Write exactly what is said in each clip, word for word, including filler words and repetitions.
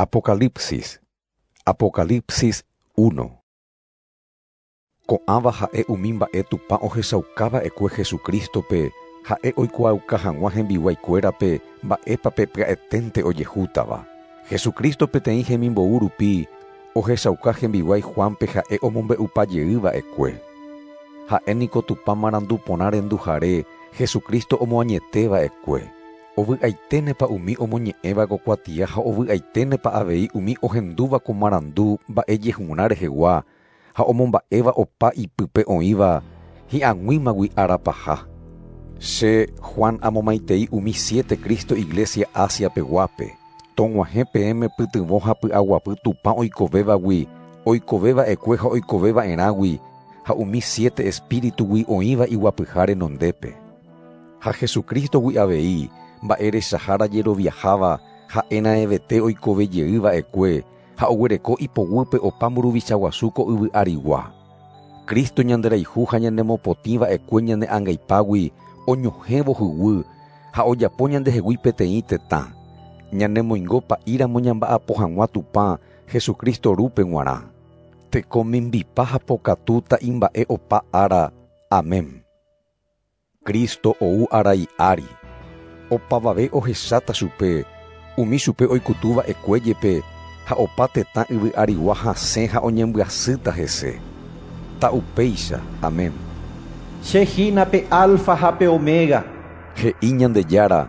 Apocalipsis. Apocalipsis uno. Ko'ãva ha'e umi mba'e Tupã ohechaukava'ekue Jesucristo-pe, ha'e oikuaauka hag̃ua hembiguaikuérape mba'épa pe pya'eténte ojehútava. Jesucristo peteĩ hemimbou rupi ohechauka hembiguái Juan-pe ha'e omombe'upajeyva'ekue. Ha'e niko Tupã marandu porã renduhare Jesucristo omoañeteva'ekue. Ovy'aiténepa umi omoñe'ẽva ko kuatia ha ovy'aiténepa avei umi ohendúva ko marandu mba'ejehurã rehegua ha omomba'éva opa ipype oĩva hi'ag̃uímagui arapaha. Che Juan amomaitei umi siete Cristo Iglesia Asia peguápe. Tog̃uahẽ peẽme pytyvõ ha py'aguapy Tupã oikovévagui, oikoveva'ekue ha oikoveva'erãgui ha umi siete espíritugui oĩva iguapyha renondépe. Ha Jesucristogui avei mba'erechahára jeroviaháva ha'e raẽvete oikovejeyva'ekue ha oguereko ipoguýpe opa mburuvicha guasu ko yvy arigua. Cristo ñanderayhu ha ñanemopotĩva'ekue ñane angaipágui oñohẽvo huguy ha ojapo ñandehegui peteĩ tetã. Ñanemoingo pa'íramo ñamba'apo hag̃ua Tupã Jesucristo rúpe g̃uarã. Tekomimbipa ha pokatu ta'imba'e opa ára. Amén. Cristo ou arai ári. Opavave ohecháta chupe, umi chupe oikutuva'ekue jepe ha opa tetã yvy arigua hasẽ ha oñembyasýta hese. Ta'upéicha. Amén. Che hína pe alfa ha pe omega. He'i Ñandejára.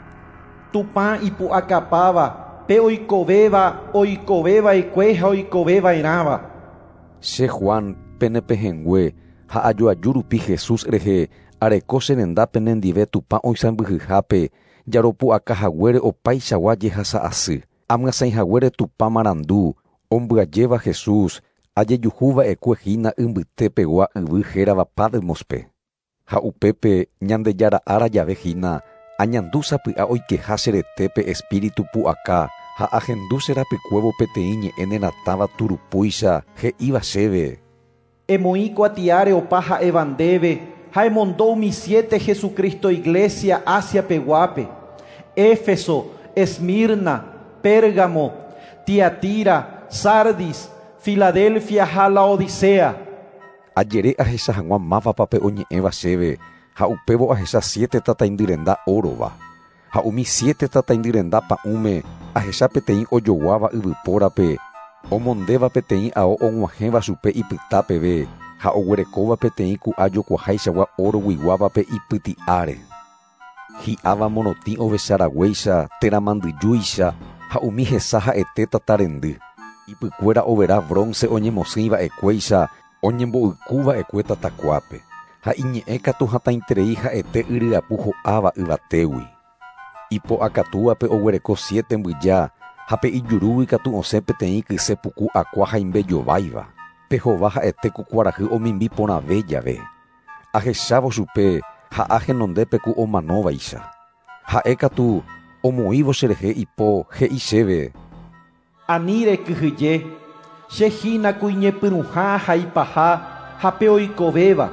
Tupã ipu'akapáva, pe oikovéva, oikoveva'ekue ha oikoveva'erãva. Che Juan penepehẽngue ha ajoaju rupi Jesús rehe areko che rendápe nendive Tupã oisãmbyhyhápe jaropu'akahaguére opaichagua jehasa'asy. Amyasãihaguére Tupã marandu ombyajéva Jesús ajejuhuva'ekue hína imbytépegua yvy hérava Patmos-pe. Ha upépe Ñandejára ára jave hína añandu sapy'a oikeha che retépe espíritu pu'aka ha ahendu che rapykuévo peteĩ ñe'ẽ neratãva turupúicha he'íva chéve. Emoĩ kuatiáre opa ha'éva ndéve ha emondo umi siete Jesucristo Iglesia Asia peguápe: Éfeso, Esmirna, Pérgamo, Tiatira, Sardis, Filadelfia ha Laodicea. Ajere ahecha hag̃ua mávapa pe oñe'ẽva chéve ha upévo ahecha siete tataindyrenda órova. Ha umi siete tataindyrenda pa'ũme ahecha peteĩ ojoguáva yvypórape, omondéva peteĩ ao og̃uahẽva chupe ipyta peve ha oguerekóva peteĩ ku'a jokuahaichagua oroguiguávape ipyti'áre. Hi'áva morotĩ ovecharaguéicha térã mandyjúicha ha umi hesa ha'ete tatarendy. Ipykuéra overa bronce oñemosỹiva'ekuéicha oñembo'ykuva'ekue tatakuápe. Ha iñe'ẽ katu hatãiterei ha'ete yryapu ho'áva yvatégui. Ipo'akatúvape oguereko siete mbyja ha pe ijurúgui katu osẽ peteĩ kyse puku akua haimbejováiva. Pe hova ha'ete ku kuarahy omimbi porãve jave. Ahechávo chupe ha'a henondépe ku omanóvaicha. Ha'e katu omoĩvo cherehe ipo he'i chéve. Ani rekyhyje, che hína ku iñepyrũha ha ipaha ha pe oikovéva.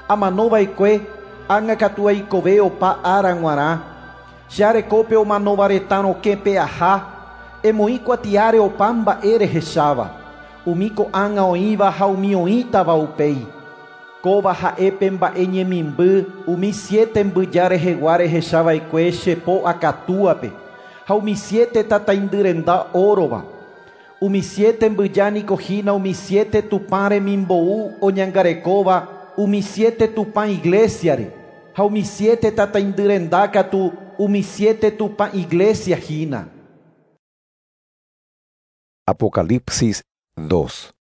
Amanova'ekue ág̃a katu aikove opa ára g̃uarã. Che arekópe omanóva retã rokẽ pe'aha, emoĩ kuatiáre opa mba'e rehecháva, umi ko'ág̃a oĩva ha umi oĩtava upéi. Kóva ha'e pe mba'e ñemimby umi siete mbyja rehegua rehechava'ekue che po akatúape ha umi siete tataindyrenda órova. Umi siete mbyja niko hína umi siete Tupã remimbou oñangarekóva umi siete Tupã Iglesiare ha umi siete tataindyrenda katu umi siete Tupã Iglesia hína. Apocalipsis dos.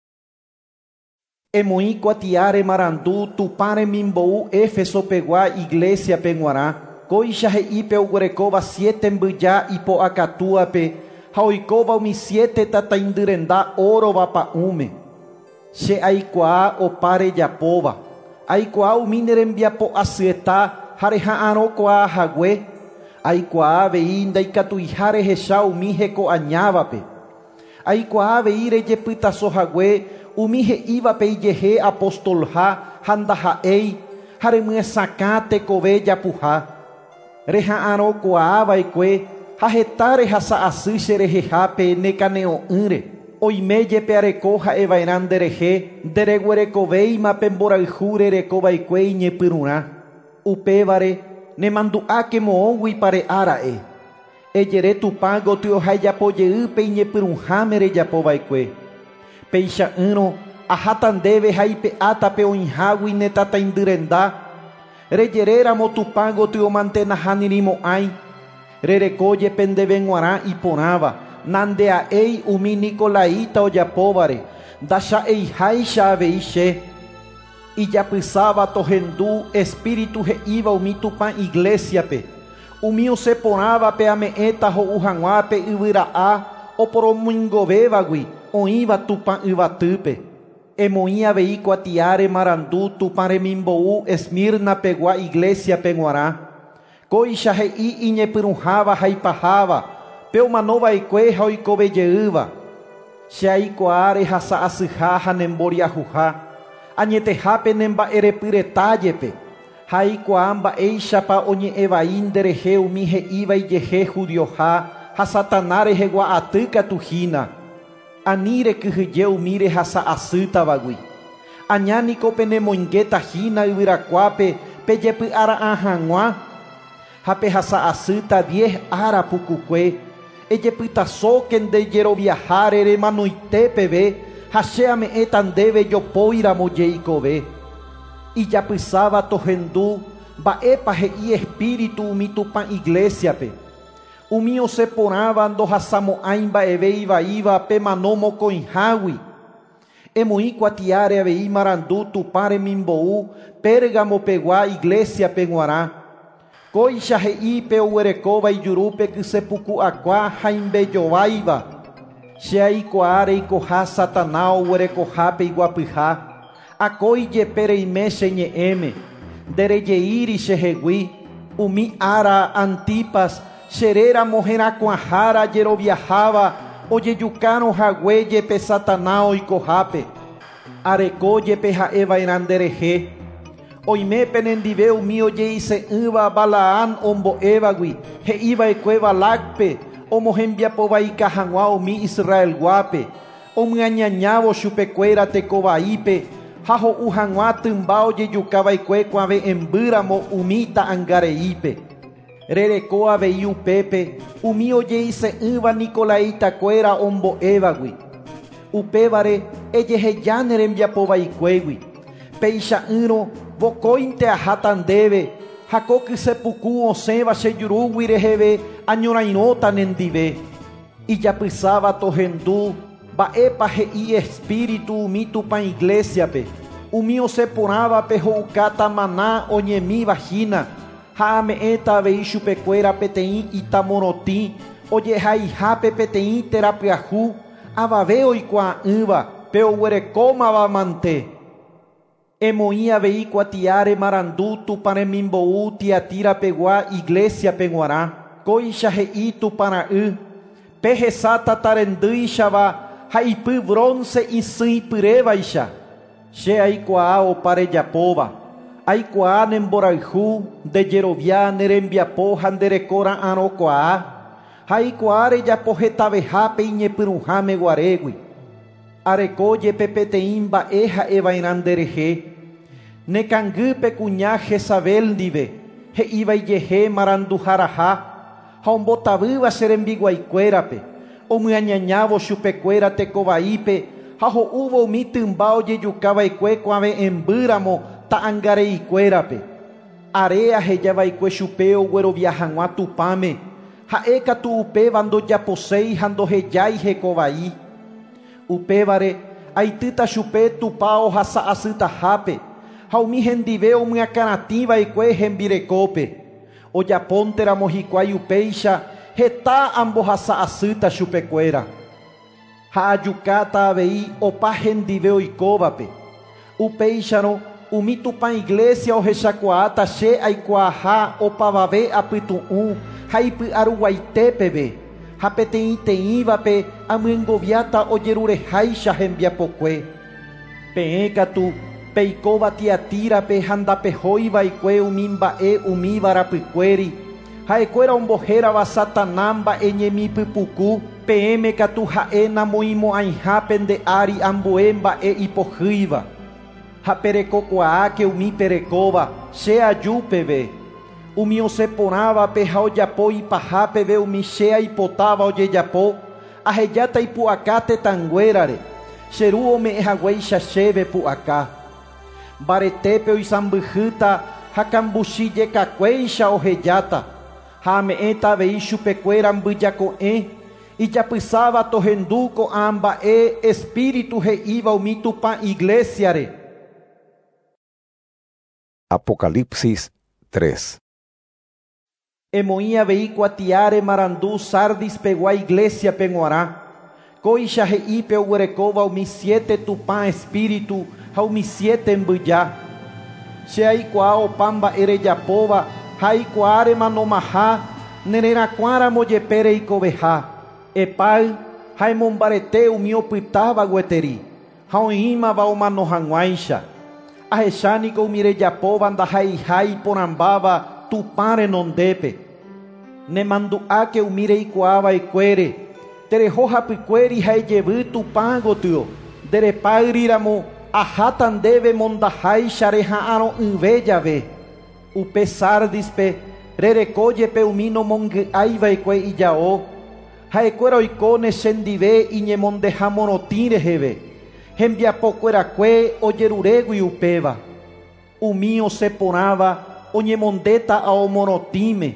Emoĩ kuatiáre marandu Tupã remimbou Éfeso pegua Iglesia-pe g̃uarã. Kóicha he'i pe oguerekóva siete mbyja ipo'akatúape ha oikóva umi siete tataindyrenda órova pa'ũme. Che aikuaa opa rejapóva. Aikuaa umi ne rembiapo asyeta ha reha'arõkuaa hague. Aikuaa avei ndaikatuiha rehecha umi hekoañávape. Aikuaa avei rejepytaso hague umi he'ívape ijehe apostolha ha ndaha'éi ha remyesakã tekove japuha. Reha'arõkuaava'ekue ha heta rehasa asy cherehehápe nekane'õ'ỹre. Oime jepe areko ha'eva'erã nderehe, ndereguerekovéima pe mborayhu rerekova'ekue iñepyrũrã. Upévare nemandu'áke moõgui pare'ára'e. Ejere Tupã gotyo ha ejapojeýpe iñepyrũháme rejapova'ekue. Peicha'ỹrõ aháta ndéve ha ipe'átape oĩhágui ne tataindyrenda. Rejeréramo Tupã gotyo mante nahanirimo'ãi. Rereko jepe ndéve g̃uarã iporãva, nandea'éi umi Nicolaita ojapóvare, ndacha'eiháicha avei che. Ijapysáva tohendu espíritu he'íva umi Tupã iglesiape. Umi osẽporãvape ame'ẽta ho'u hag̃ua pe yvyra'a oporomoingovévagui oĩva Tupã yvatýpe. Emoĩ avei kuatiáre marandu Tupã remimbou Esmirna-pegua iglesiape g̃uarã. Kóicha he'i iñepyrũháva ha ipaháva, pe omanova'ekue ha oikovejeýva. Che aikuaa rehasa asyha ha nemboriahuha, añetehápe nemba'erepyreta jepe. Ha aikuaa mba'éichapa oñe'ẽvai nderehe umi he'íva ijehe judioha ha Satana rehegua aty katu hína. Ani rekyhyje umi rehasa asýtavagui. Añániko penemoingéta hína yvyrakuápe pejepy'ara'ã hag̃ua ha pehasa asýta diez ára pukukue. Ejepytasóke ndejeroviaháre remanoite peve ha che ame'ẽta ndéve jopóiramo jeikove. Ijapysáva tohendu mba'épa he'i espíritu umi Tupã iglesiape. Umi osẽporãva ndohasamo'ãi mba'eve ivaíva pemano mokõihágui. Emoĩ kuatiáre avei marandu Tupã remimbou Pérgamo-pegua iglesiape g̃uarã. Kóicha he'i pe oguerekóva ijurúpe kysepuku'akua ha imbejováiva. Che aikuaa reikoha Satana oguerekohápe iguapyha. Akói jepe reime che ñe'ẽme, nderejeíri chehegui. Umi ára Antipas cheréramo herakuãhára jeroviaháva ojejukárõ hague jepe Satana oikohápe. Areko jepe ha'eva'erã nderehe. Oime penendive umi ojeise'ỹva Balaam ombo'évagui, he'iva'ekue Balacpe omohembiapovaika hag̃ua umi Israelguápe, omyañañávo chupekuéra tekovaípe ha ho'u hag̃ua tymba ojejukava'ekue kuave'ẽmbýramo umi ta'ãngareípe. Rereko avei upépe umi ojeise'ỹva Nicolaitakuéra ombo'évagui. Upévare ejeheja ne rembiapovaikuégui. Peicha'ỹrõ vokóinte aháta ndéve ha ko kysepuku osẽva che jurúgui reheve añorairõta nendive. Ijapysáva tohendu mba'épa he'i espíritu umi Tupã iglesiape. Umi osẽporãvape ho'ukáta maná oñemíva hína ha ame'ẽta avei chupekuéra peteĩ itamorotĩ ojehaihápe peteĩ térã pyahu avave oikuaa'ỹva pe oguerekómava mante. Emoĩ avei kuatiáre marandu Tupã remimbou Tiatirapegua iglesiape g̃uarã. Kóicha he'i Tupã ra'y, pe hesa tatarendýichava ha ipy bronce isỹipyrévaicha. Che aikuaa opa rejapóva. Aikuaa nemborayhu, ndejerovia, nerembiapo ha nderekora'ãrõkuaa. Ha aikuaa rejapo hetavehápe iñepyrũháme guarégui. Areko jepe peteĩ mba'e ha'eva'erã nderehe. Nekangýpe kuña Jezabel ndive, he'íva ijehe maranduharaha ha ombotavýva che rembiguaikuérape, omyañañávo chupekuéra tekovaípe ha ho'úvo umi tymba ojejukava'ekue kuave'ẽmbýramo ta'ãngareikuérape. Are ahejava'ekue chupe oguerovia hag̃ua Tupãme, ha'e katu upéva ndojaposéi ha ndohejái hekovai. Upévare aitýta chupe Tupã ohasa asytahápe ha umi hendive omyakãratĩva'ekue hembirekópe. Ojapónteramo hikuái upéicha heta ambohasa asýta chupekuéra. Ha ajukáta avei opa hendive oikóvape. Upéicharõ umi Tupã iglesia ohechakuaáta che aikuaaha opavave apytu'ũ ha ipy'aruguaitépeve ha peteĩteĩvape amyengoviáta ojerureháicha hembiapokue. Peẽ katu peikóva Tiatírape ha ndapehóiva'ekue umi mba'e umíva rapykuéri. Ha'ekuéra ombohérava Satanás mba'eñemi pypuku, peẽme katu ha'e namoĩmo'ãiha pende ári ambue mba'e ipohýiva. Ha perekokuaáke umi perekóva che aju peve. Umi osẽporãvape ha ojapo ipaha peve umi che aipotáva ojejapo, ahejáta ipu'aka tetãnguérare, che ru ome'ẽ haguéicha chéve pu'aka. Mbaretépe oisãmbyhýta ha kambuchijekakuéicha ohejáta, ha ame'ẽta avei chupekuéra mbyjako'ẽ, ijapysáva tohendu ko'ã mba'e espíritu he'íva umi Tupã iglesiare. Apocalipsis tres. Emoĩ avei kuatiáre marandu Sardis pegua iglesia-pe g̃uarã. Kóicha he'ípe oguerekóva umi siete Tupã espíritu ha umi siete mbyja. Che aikuaa opa mba'e rejapóva ha aikuaa remanomaha nererakuãramo jepe reikoveha. Epáy ha emombarete umi opytáva gueteri ha oĩmava omano hag̃uáicha. Ahechániko umi rejapóva ndaha'eiha iporãmbáva Tupã renondépe. Nemandu'áke umi reikuaava'ekuére, tereho hapykuéri ha ejevy Tupã gotyo. Nderepáyriramo aháta ndéve mondaháicha reha'arõ'ỹve jave. Upe Sardispe rereko jepe umi nomongy'aiva'ekue ijao. Ha'ekuéra oikóne chendive iñemondeha morotĩ reheve. Hembiapokuerakue ojerurégui upéva. Umi osẽporãva oñemondéta ao morotĩme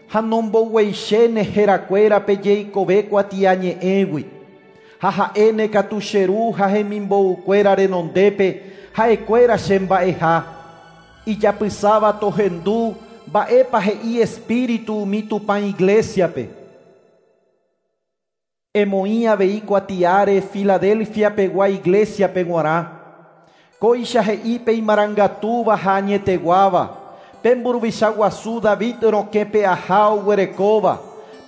ha nombogueichéne herakuérape jeikove kuatiañe'ẽgui. Ha ha'éne katu che ru ha hemimboukuéra renondépe ha'ekuéra chemba'eha. Ijapysáva tohendu mba'épa he'i espíritu umi Tupã iglesiape. Emoĩ avei kuatiáre Filadelfia pegua iglesiape g̃uarã. Kóicha he'ípe imarangatúva ha añeteguáva, pe mburuvicha guasu David rokẽpe aha oguerekóva,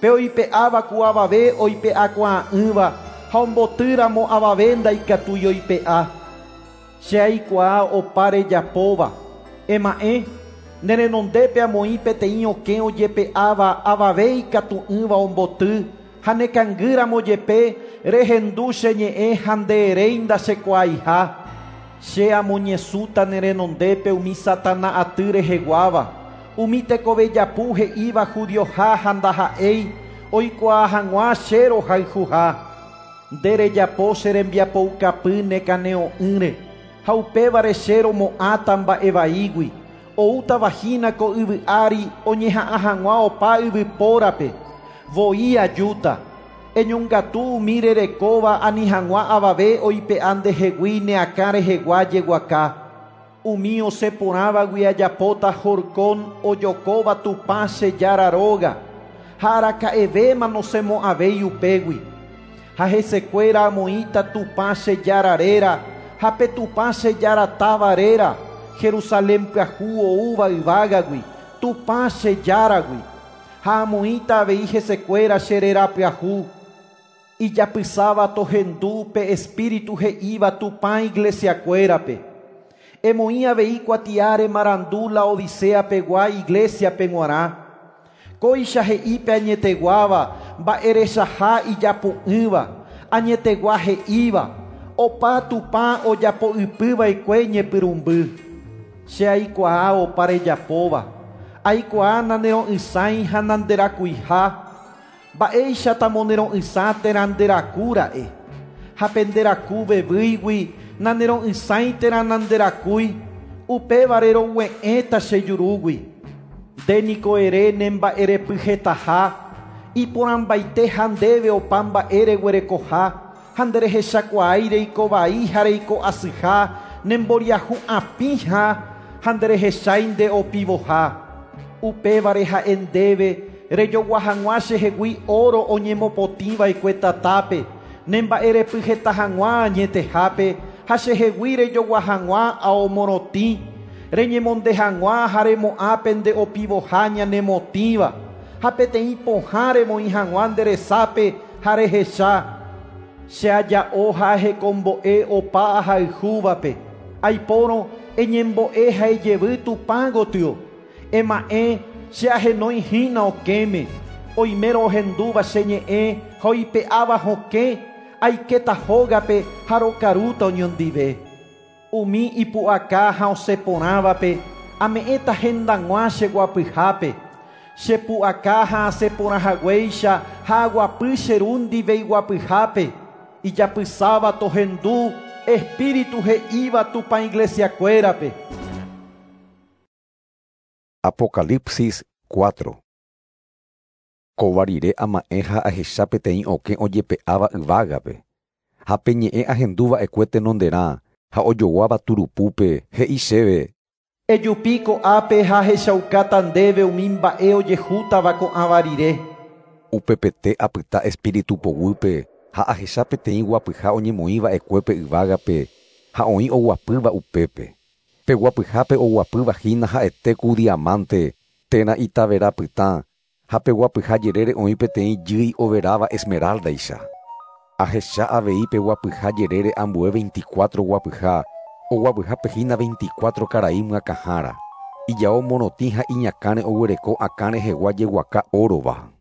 pe oipe'áva ku avave oipe'akuaa'ỹva ha ombotýramo avave ndaikatúi oipe'a. Che aikuaa opa rejapóva. Ema'ẽ, nerenondépe amoĩ peteĩ okẽ ojepe'áva avave ikatu'ỹva omboty, ha nekangýramo jepe rehendu che ñe'ẽ ha ndeeréi ndachekuaaiha. Che amoñesũta nerenondépe umi Satana aty reheguáva, umi tekovejapu he'íva judioha ha ndaha'éi oikuaa hag̃ua che rohayhuha. Nde rejapo che rembiapoukapy nekane'õ'ỹre, ha upévare che romo'ãta mba'evaígui, oútava hína ko yvy ári oñeha'ã hag̃ua opa yvypórape. Voi ajúta. Eñongatu umi rerekóva ani hag̃ua avave oipe'a ndehegui neakã rehegua jeguaka. Umi osẽporãvagui ajapóta horkon ojokóva Tupã che Jára róga, ha araka'evéma nosẽmo'ãvéi upégui. Ha hesekuéra amoĩta Tupã che Jára réra, ha pe Tupã che Jára táva réra, Jerusalén pyahu oúva yvágagui, Tupã che Járagui. Ha amoĩta avei hesekuéra che réra pyahu. Ijapysáva tohendu pe espíritu he'íva Tupã iglesiakuérape. Emoĩ avei kuatiáre marandu Laodicea pegua iglesiape g̃uarã. Kóicha he'ípe añeteguáva, mba'erechaha ijapu'ỹva, añetegua he'íva, opa Tupã ojapo'ypyva'ekue ñepyrũmby. Che aikuaa opa rejapóva, aikuaa nanero'ysãi ha nanderakuiha, mba'éicha monero'ysã térã nderakúra'e. Ha pe nderaku vevýigui nanero'ysãi térã nanderakúi, upévare rogue'ẽta che jurúgui. Nde niko ere ne mba'erepyhetaha, iporãmbaite ha ndéve opa mba'e reguerekoha, ha nderehechakuaái reikovai ha reiko'asyha, nemboriahu'apĩha ha nderehechái nde opivoha. Upévare ha'e ndéve rejogua hag̃ua chehegui oro oñemopotĩva'ekue tatápe, ne mba'erepyheta hag̃ua añetehápe, ha chehegui rejogua hag̃ua ao morotĩ, reñemonde hag̃ua ha remo'ã pende opivoha ñanemotĩva, ha peteĩ pohã remoĩ hag̃ua nde resápe ha rehecha. Che aja'o ha ahekombo'e opaahayhúvape. Aipórõ eñembo'e ha ejevy Tupã gotyo. Ema'ẽ che ahenói hína okẽme. Oimérõ ohendúva che ñe'ẽ ha oipe'áva hokẽ, aikéta hógape ha rokarúta oñondive. Umi ipu'aka ha osẽporãvape ame'ẽta hendag̃ua che guapyhápe. Che pu'aka ha asẽporãhaguéicha ha aguapy che ru ndive iguapyhápe. Ijapysáva tohendu Espíritu he'íva Tupã iglesiakuérape. Apocalipsis cuatro. Kóva rire ama'ẽ ha ahecha peteĩ okẽ ojepe'áva yvágape. Ha pe ñe'ẽ ahendúva'ekue tenonderã ha ojoguáva turupúpe he'i chéve: Ejupi ko'ápe ha ahechaukáta ndéve umi mba'e ojehútava ko'ãva rire. Upepete apyta espíritu poguýpe ha ahecha peteĩ guapyha oñemoĩva'ekuépe yvágape ha oĩ oguapýva upépe. Pe guapyhápe oguapýva hína ha'ete ku diamante térã itavera pytã ha pe guapyha jerére oĩ peteĩ jýi overáva esmeraldaicha. Ahecha avei pe guapyha jerére ambue veinticuatro guapyha, oguapyhápe hína veinticuatro karai myakãhára. Ijao morotĩ ha iñakãre oguereko akã rehegua jeguaka órova.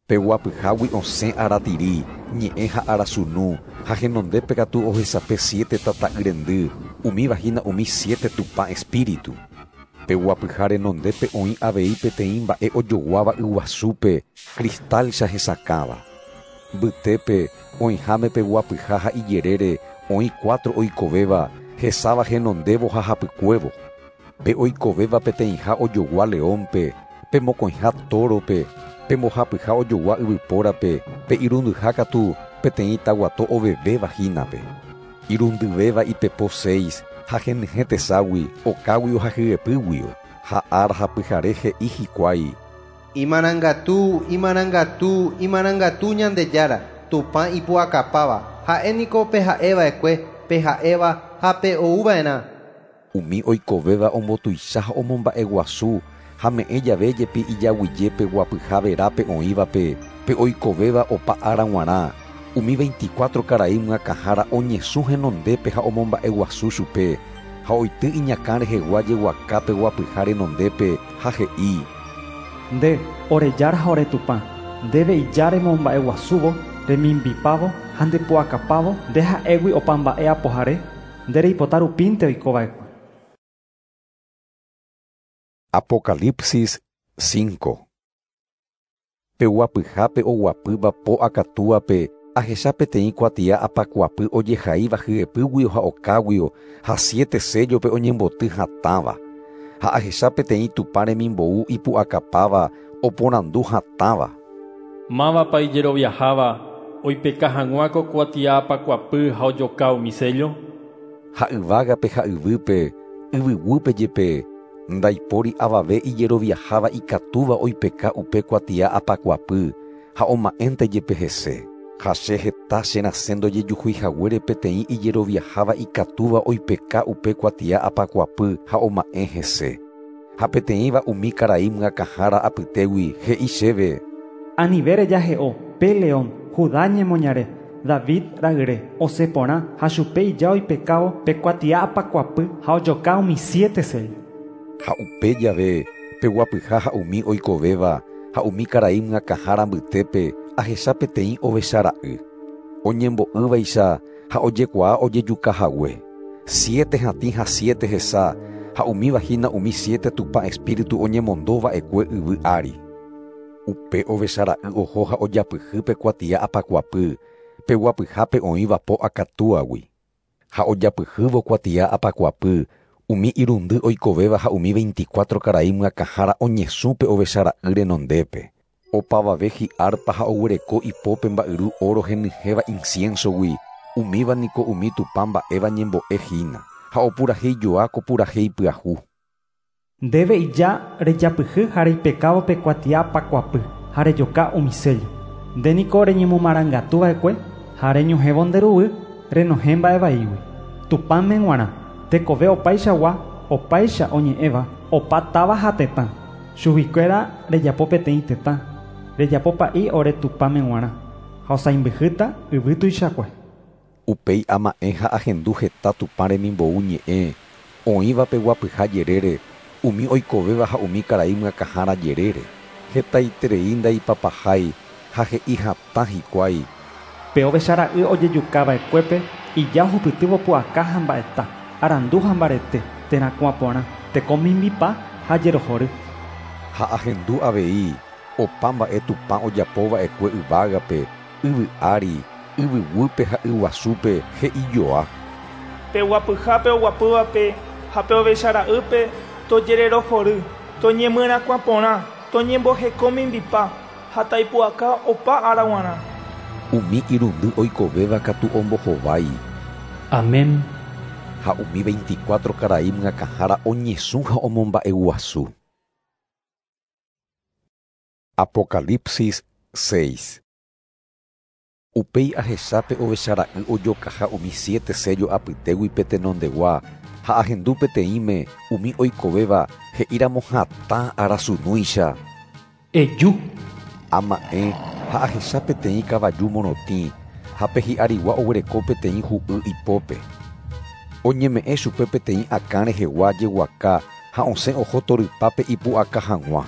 Pe guapyhágui osẽ aratiri, ñe'ẽ ha arasunu, ha henondépe katu ohesape siete tata'y rendy, umíva hína umi siete Tupã espíritu. Pe guapyha renondépe oĩ avei peteĩ mba'e ojoguáva yguasúpe, cristalcha hesakãva. Mbytépe oĩháme pe guapyha ha ijerére oĩ cuatro oikovéva, hesáva henondévo ha hapykuévo. Pe oikovéva peteĩha ojogua leónpe, pe mokõiha tórope, pe mbohapyha ojogua yvypórape, pe irundyha katu peteĩ taguato ovevéva hínape. Irundyvéva ipepo seis ha henyhẽ teságui, okáguio ha hyepýguio, ha ára ha pyhare he'i hikuái: Imarangatu, imarangatu, imarangatu Ñandejára, Tupã ipu'akapáva, ha'e niko pe ha'eva'ekue, pe ha'éva ha pe ouva'erã. Umi oikovéva ombotuicha ha omomba'eguasu ha me'ẽ jave jepi ijaguijépe guapyha verápe oĩvape, pe oikovéva opa ára g̃uarã. Umi veinticuatro karai myakãhára oñesũ henondépe ha omomba'eguasu chupe, ha oity iñakã rehegua jeguakápe guapyha renondépe ha he'i: Nde, ore Jára ha ore Tupã, ndéve ija remomba'eguasúvo, remimbipávo ha ndepu'akapávo, nde ha'égui opa mba'e apohare, nde reipota rupínte oikova'ekue. Apocalipsis cinco. Pe guapyhápe oguapýva po akatúape ahecha peteĩ kuatia apakuapy ojehaíva hyepýguio ha okáguio ha siete séllope oñemboty hatãva. Ha ahecha peteĩ Tupã remimbou ipu'akapáva oporandu hatãva: Mávapa ijeroviaháva oipeka hag̃ua ko kuatia apakuapy ha ojoka umi sello? Ha yvágape ha yvýpe, yvyguýpe jepe, ndaipóri avave ijeroviaháva ikatúva oipeka upe kuatia apakuapy ha oma'ẽnte jepe hese. Ha che heta cherasẽ ndojejuhuihaguére peteĩ ijeroviaháva ikatúva oipeka upe kuatia apakuapy ha oma'ẽ hese. Ha peteĩva umi karai myakãhára apytégui he'i chéve: Anive rejahe'o, pe león, Judá ñemoñare, David ra'yre, osẽporã ha chupe ija oipekávo pe kuatia apakuapy ha ojoka umi siete sello. Ha upe jave pe guapyha ha umi oikovéva ha umi karai myakãhára mbytépe ahecha peteĩ ovechara'y oñembo'ývaicha ha ojekuaa ojejukahague. Siete hatĩ ha siete hesa ha umíva hína umi siete Tupã espíritu oñemondóva'ekue yvy ári. Upe ovechara'y oho ha ojapyhy pe kuatia apakuapy pe guapyhápe oĩva po akatúagui. Ha ojapyhývo kuatia apakuapy umi irundy oikovéva ha umi veinticuatro karai myakãhára oñesũ pe ovechara'y renondépe. Opavave hi'arpa ha oguereko ipópe mba'yru oro henyhẽva inciensogui, umíva niko umi Tupã mba'éva ñembo'e hína, ha opurahéijoa ko purahéi pyahu. Ndéve ija rejapyhy ha reipekávo pe kuatia apakuapy ha rejoka umi sello. Nde niko reñemomarangatuva'ekue ha reñohẽvo nde ruguy renohẽ mba'evaígui. Tupãme g̃uarã tekove opaichagua, opaicha oñe'ẽva, opa táva ha tetã. Chuguikuéra rejapo peteĩ tetã, rejapo pa'i ore Tupãme g̃uarã ha osãimbyhýta yvy tuichakue. Upéi ama'ẽ ha ahendu heta Tupã remimbou ñe'ẽ oĩva pe guapyha jerére Umi oikovéva ha umi karai myakãhára jerére. Hetaiterei ndaipapahái ha he'i hatã hikuái. Pe ovechara'y ojejukava'ekuépe ija ohupytývo pu'aka ha mba'eta, arandu ha mbarete, terakuã porã, tekomimbipa ha jerohory. Ha ahendu avei opa mba'e Tupã ojapova'ekue yvágape, yvy ári, yvyguýpe ha yguasúpe he'ijoa. Pe guapyhápe oguapývape ha pe ovechara'ýpe tojererohory, toñemyrakuã porã, toñembohekomimbipa ha taipu'aka opa ára g̃uarã. Umi irundy oikovéva katu ombohovái. Amén. Ha umi veinticuatro karai myakãhára oñesũ ha omomba'eguasu. Apocalipsis seis. Upéi ahechápe ovechara'y ojokaha umi siete sello apytégui pe tenondegua ha ahendu peteĩme umi oikovéva he'íramo hatã arasunúicha. Eju. Ama'ẽ ha ahecha peteĩ kavaju morotĩ ha pe hi'arigua oguereko peteĩ hu'y ipópe. Oñeme'ẽ chupe peteĩ akã rehegua jeguaka ha osẽ oho torypápe ipu'aka hag̃ua.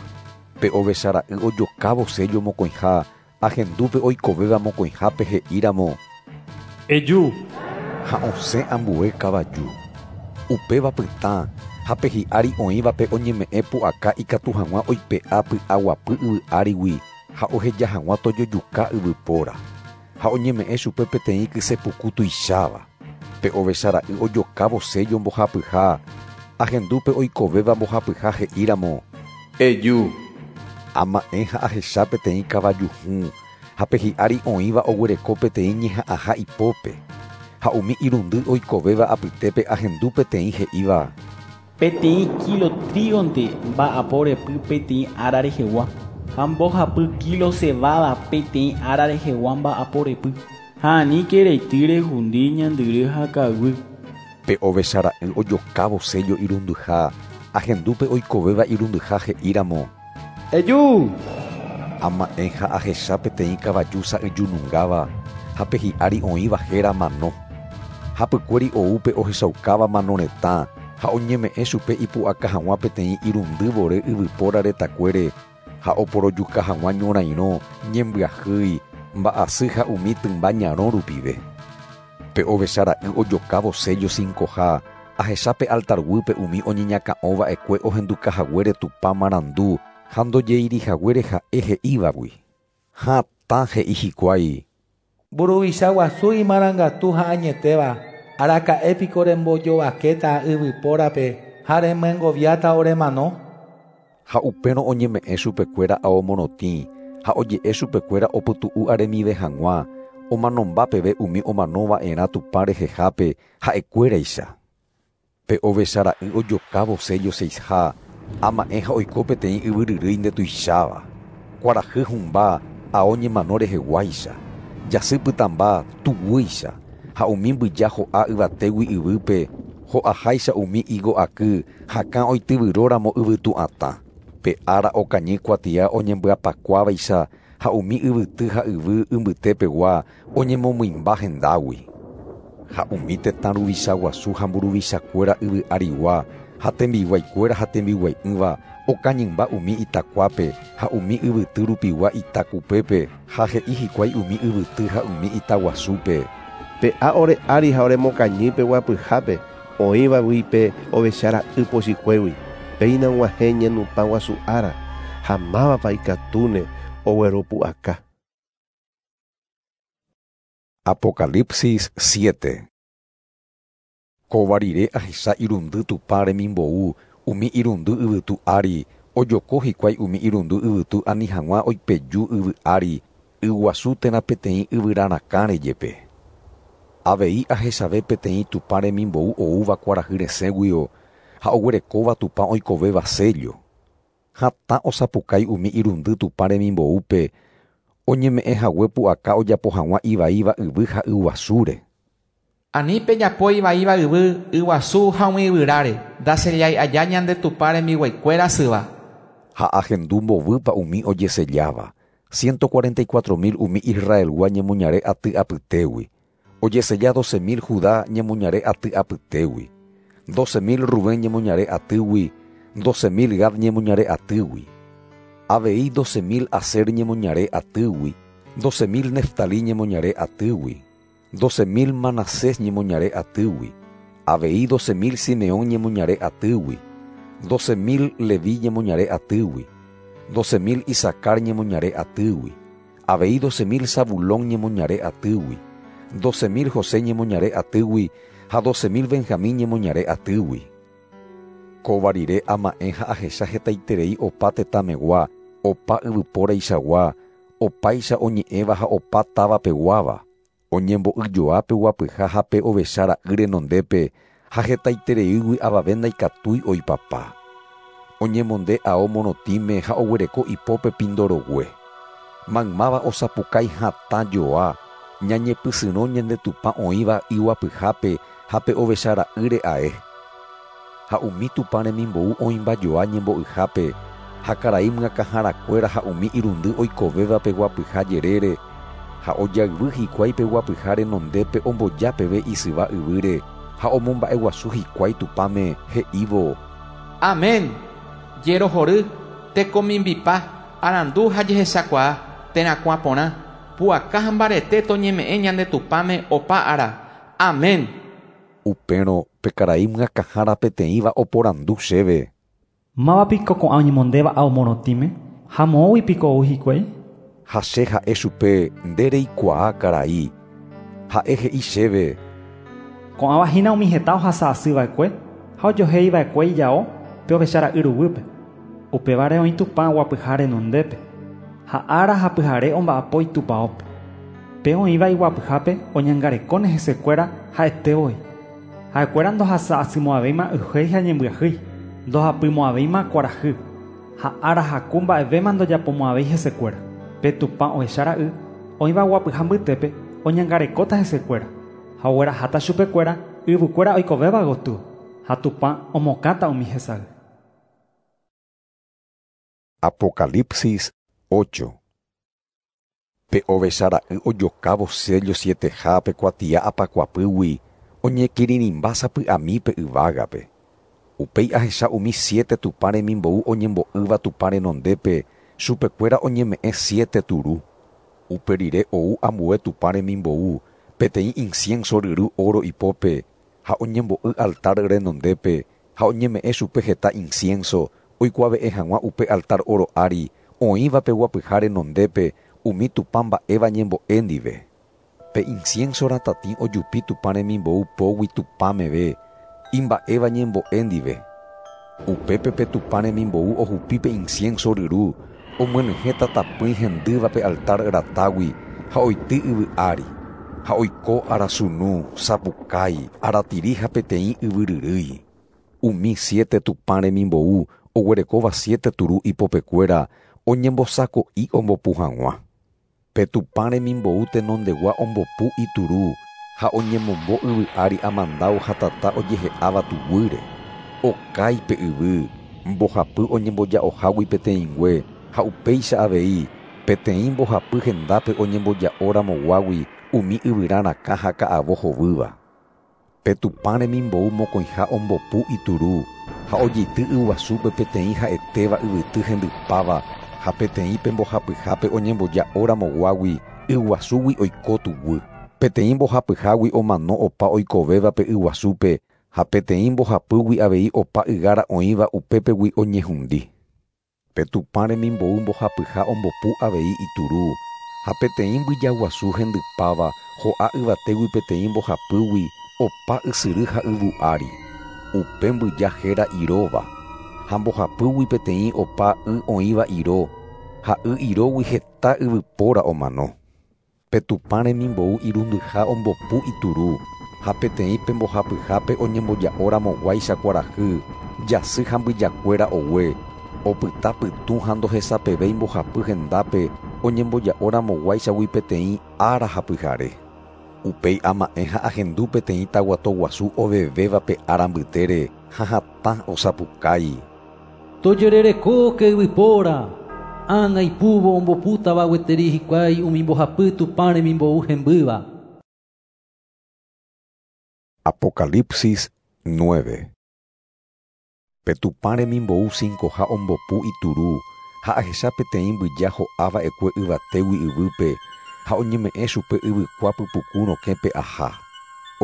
Pe ovechara'y ojokávo sello mokõiha ahendúpe oikovéva mokõihápe he'íramo. Eju. Ha osẽ ambue kavaju. Upéva pytã ha pe hi'ári oĩvape oñeme'ẽ pu'aka ikatu hag̃ua oipe'a py'aguapy yvy árigui ha oheja hag̃ua tojojuka yvypóra. Ha oñeme'ẽ chupe peteĩ kysepuku tuicháva. Pe ovechara'y ojokávo sello mbohapyha ahendúpe oikovéva mbohapyha he'íramo. Eju. Ama'ẽ ha ahecha peteĩ kavaju hũ ha pe hi'ári oĩva oguereko peteĩ ñeha'ãha ipópe. Ha umi irundy oikovéva apytépe ahendu peteĩ he'íva. Peteĩ kilo trígonte mba'apo repy peteĩ ára rehegua ha mbohapy kilo cebada peteĩ ára rehegua mba'apo repy. Ha aníke reity rehundi ñandyry ha kaguy. Pe ovechara'y ojokávo sello irundyha ahendúpe oikovéva irundyha he'íramo. Eju. Ama'ẽ ha ahecha peteĩ kavaju sa'yjunungáva ha pe hi'ári oĩva héra mano. Hapykuéri oúpe ohechaukáva mano retã ha oñeme'ẽ chupe ipu'aka hag̃ua peteĩ irundy vore yvypóra retakuére ha oporojuka hag̃ua ñorairõ, ñembyahýi, mba'asy ha umi tymba ñarõ rupive. Pe ovechara'y ojokávo sello cincoha ahecha pe altarguýpe umi oñeñakã'ova'ekue ohendukahaguére Tupã marandu ha ndojeirihaguére ha'e he'ívagui. Hatã he'i hikuái. Mburuvicha guasu imarangatu ha añetéva araka'épiko rembojovakéta yvypórape ha remyengoviáta oremano. Ha upérõ oñeme'ẽ chupekuéra ao morotĩ ha oje'e chupekuéra opytu'u aremive hag̃ua omanomba peve umi omanova'erã Tupã rehehápe ha'ekuéraicha. Pe ovechara'y ojokávo sello seisha ama'ẽ ha oiko peteĩ yvyryrýi ndetuicháva. Kuarahy hũmba ao ñemano reheguáicha, jasy pytãmba tuguýicha ha umi mbyja ho'a yvatégui yvýpe ho'aháicha umi higo aky hakã oityvyróramo yvytu'atã. Pe ára okañy kuatia oñembyapakuávaicha ha umi yvyty ha yvy imbytépegua oñemomymba hendágui. Ha umi tetã ruvicha guasu ha mburuvichakuéra yvy arigua ha tembiguaikuéra ha tembiguai'ỹva okañymba umi itakuápe ha umi yvyty rupigua itakupépe ha he'i hikuái umi yvyty ha umi itaguasúpe. Pe'a ore ári ha oremokañýpe guapyhápe oĩvagui pe ovechara'y pochykuégui. Péina og̃uahẽ ñenupã guasu ára ha mávapa ikatúne ogueropu'aka. Apocalipsis siete. Kóva rire ahecha irundy Tupã remimbou umi irundy yvytu ári ojoko hikuái umi irundy yvytu ani hag̃ua oipeju yvy ári yguasu térã peteĩ yvyrarakãre jepe. Avei ahechave peteĩ Tupã remimbou oúva kuarahy resẽguio ha oguerekóva Tupã oikovéva sello. Hatã osapukái umi irundy Tupã remimboúpe oñeme'ẽ hague pu'aka ojapo hag̃ua ivaíva yvy ha yguasúre. Ani pejapo ivaíva yvy, yguasu ha umi yvyráre, ndasellái aja ñande Tupã rembiguaikuéra syva. Ha ahendu mbovýpa umi ojeselláva, ciento cuarenta y cuatro mil umi Israelgua ñemoñare aty apytégui, ojesella doce mil Judá ñemoñare aty apytégui, doce mil Rubén ñemoñare atýgui, doce mil Gad ñemoñare atýgui, avei doce mil Aser ñemoñare atýgui, doce mil Neftalí ñemoñare atýgui, doce mil Manasés ñemoñare atýgui, avei doce mil Simeón ñemoñare atýgui, doce mil Leví ñemoñare atýgui, doce mil Isacar ñemoñare atýgui, avei doce mil Zabulón ñemoñare atýgui, doce mil José ñemoñare atýgui ha doce mil Benjamín ñemoñare atýgui. Kóva rire ama'ẽ ha ahecha hetaiterei opa tetãmegua, opa yvypóraichagua, opáicha oñe'ẽva ha opa távapeguáva, oñembo'yjoa peguapyha ha pe ovecha ra'y renondépe ha hetaitereígui avave ndaikatúi oipapa. Oñemonde ao morotĩme ha oguereko ipópe pindorogue. Maymáva osapukái hatã joa, ñañepysyrõ ñande Tupã oĩva iguapyhápe ha pe ovecha ra'ýre ae. Ha umi Tupã remimbou oĩmbajoa ñembo'yhápe, ha karai myakãharakuéra ha umi irundy oikovéva peguapyha jerére, ha ojayvy hikuái peguapyha renondépe omboja peve isyva yvýre ha omomba'eguasu hikuái Tupãme he'ívo: Amén. Jerohory, tekomimbipa, arandu ha jehechakuaa, terakuã porã, pu'aka ha mbarete toñeme'ẽ ñande Tupãme opa ára. Amén. Upérõ pe karai myakãhára peteĩva oporandu chéve: Mávapiko ko'ã oñemondéva ao morotĩme ha moõguipiko ou hikuái? Ha che ha'e chupe nde reikuaa karai. Ha'e he'i chéve: Ko'ãva hína umi heta ohasa asy va'ekue ha ojoheiva'ekue ijao pe ovecha ra'y ruguýpe. Upévare oĩ Tupã guapyha renondépe ha ára ha pyhare omba'apo itupãópe. Pe oĩva iguapyhápe oñangarekóne hesekuéra ha'etévoi. Ha'ekuéra ndohasa asymo'ãvéima y'uhéi ha ñembyahýi, ndohapymo'ãvéima kuarahy, ha ára haku mba'evéma ndojapomo'ãvéi hesekuéra. Pe Tupã ovecha ra'y oĩva guapyha mbytépe oñangarekóta hesekuéra ha ogueraháta chupekuéra yvykuéra oikovéva gotyo ha Tupã omokãta umi hesay. Apocalipsis ocho. Pe ovecha ra'y ojokávo sello sieteha pe kuatia apakuapýgui oñekirirĩmba sapy'ami pe yvágape. Upéi ahecha umi siete Tupã remimbou oñembo'ýva Tupã renondépe, chupekuéra oñeme'ẽ siete turu. Upe rire ou ambue Tupã remimbou, peteĩ incienso ryru oro ipópe, ha oñembo'y altar renondépe, ha oñeme'ẽ chupe heta incienso, oikuave'ẽ hag̃ua upe altar oro ári, oĩva peguapyha renondépe, umi Tupã mba'éva ñembo'e ndive. Pe incienso ratatĩ ojupi Tupã remimbou pógui Tupã meve, imba'éva ñembo'e ndive. Upépe pe Tupã remimbou ohupi pe incienso ryru, omyenyhẽ tatapỹi hendýva pe altar ratágui ha oity yvy ári, ha oiko arasunu, sapukái, aratiri ha peteĩ yvyryrýi. Umi siete Tupã remimbou oguerekóva siete turu ipopekuéra oñembosako'i ombopu hag̃ua. Pe Tupã remimbou tenondegua ombopu ituru ha oñemombo yvy ári amandáu ha tata ojehe'áva tuguýre. Okái pe yvy, mbohapy oñemboja'ohágui peteĩngue ha upéicha avei peteĩ mbohapy hendápe oñemboja'oramoguágui umi yvyra rakã ha ka'avo hovýva. Pe Tupã remimbou mokõiha ombopu ituru ha ojeity yguasúpe peteĩ ha'etéva yvyty hendypáva ha peteĩ pe mbohapyhápe oñemboja'oramoguágui yguasúgui oiko tuguy. Peteĩ mbohapyhágui omano opa oikovéva pe yguasúpe ha peteĩ mbohapýgui avei opa ygára oĩva upépegui oñehundi. Pe Tupã remimbou mbohapyha ombopu avei ituru ha peteĩ mbyjaguasu hendypáva ho'a yvatégui peteĩ mbohapýgui opa ysyry ha yvu ári. Upe mbyja héra iróva ha mbohapýgui peteĩ opa y oĩva iro ha y irógui heta yvypóra omano. Pe Tupã remimbou irundyha ombopu ituru ha peteĩ pe mbohapyhápe oñemboja'oramoguáicha kuarahy, jasy ha mbyjakuéra ogue, opyta pytũ ha ndohesapevéi mbohapy hendápe oñemboja'oramoguáichagui peteĩ ára ha pyhare. Upéi ama'ẽ ha ahendu peteĩ taguato guasu ovevéva pe ára mbytére ha hatã osapukái: Tojererekóke yvypóra, ág̃a ipúvo ombopútava gueteri hikuái umi mbohapy Tupã remimbou hembýva. Apocalipsis nueve. Pe Tupã remimbou cincoha ombopu ituru ha ahecha peteĩ mbyja ho'ava'ekue yvatégui yvýpe ha oñeme'ẽ chupe yvykua pypuku rokẽpe aha.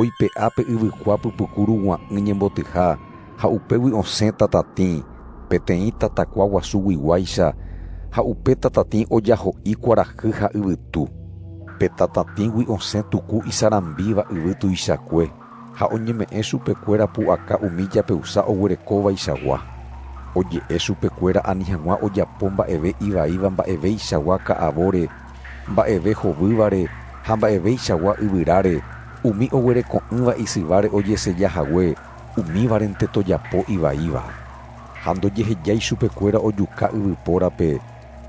Oipe'a pe yvykua pypuku rugua'ỹ ñembotyha ha upégui osẽ tatatĩ, peteĩ tatakua guasuguiguáicha ha upe tatatĩ ojaho'i kuarahy ha yvytu. Pe tatatĩgui osẽ tuku isarambíva yvy tuichakue ha oñeme'ẽ chupekuéra pu'aka umi japeusa oguerekóvaichagua. Oje'e chupekuéra ani hag̃ua ojapo mba'eve ivaíva mba'eveichagua ka'avóre, mba'eve hovývare ha mba'eveichagua yvyráre, umi oguereko'ỹva isyváre ojesejahague, umívarente tojapo ivaíva. Ha ndojehejái chupekuéra ojuka yvypórape,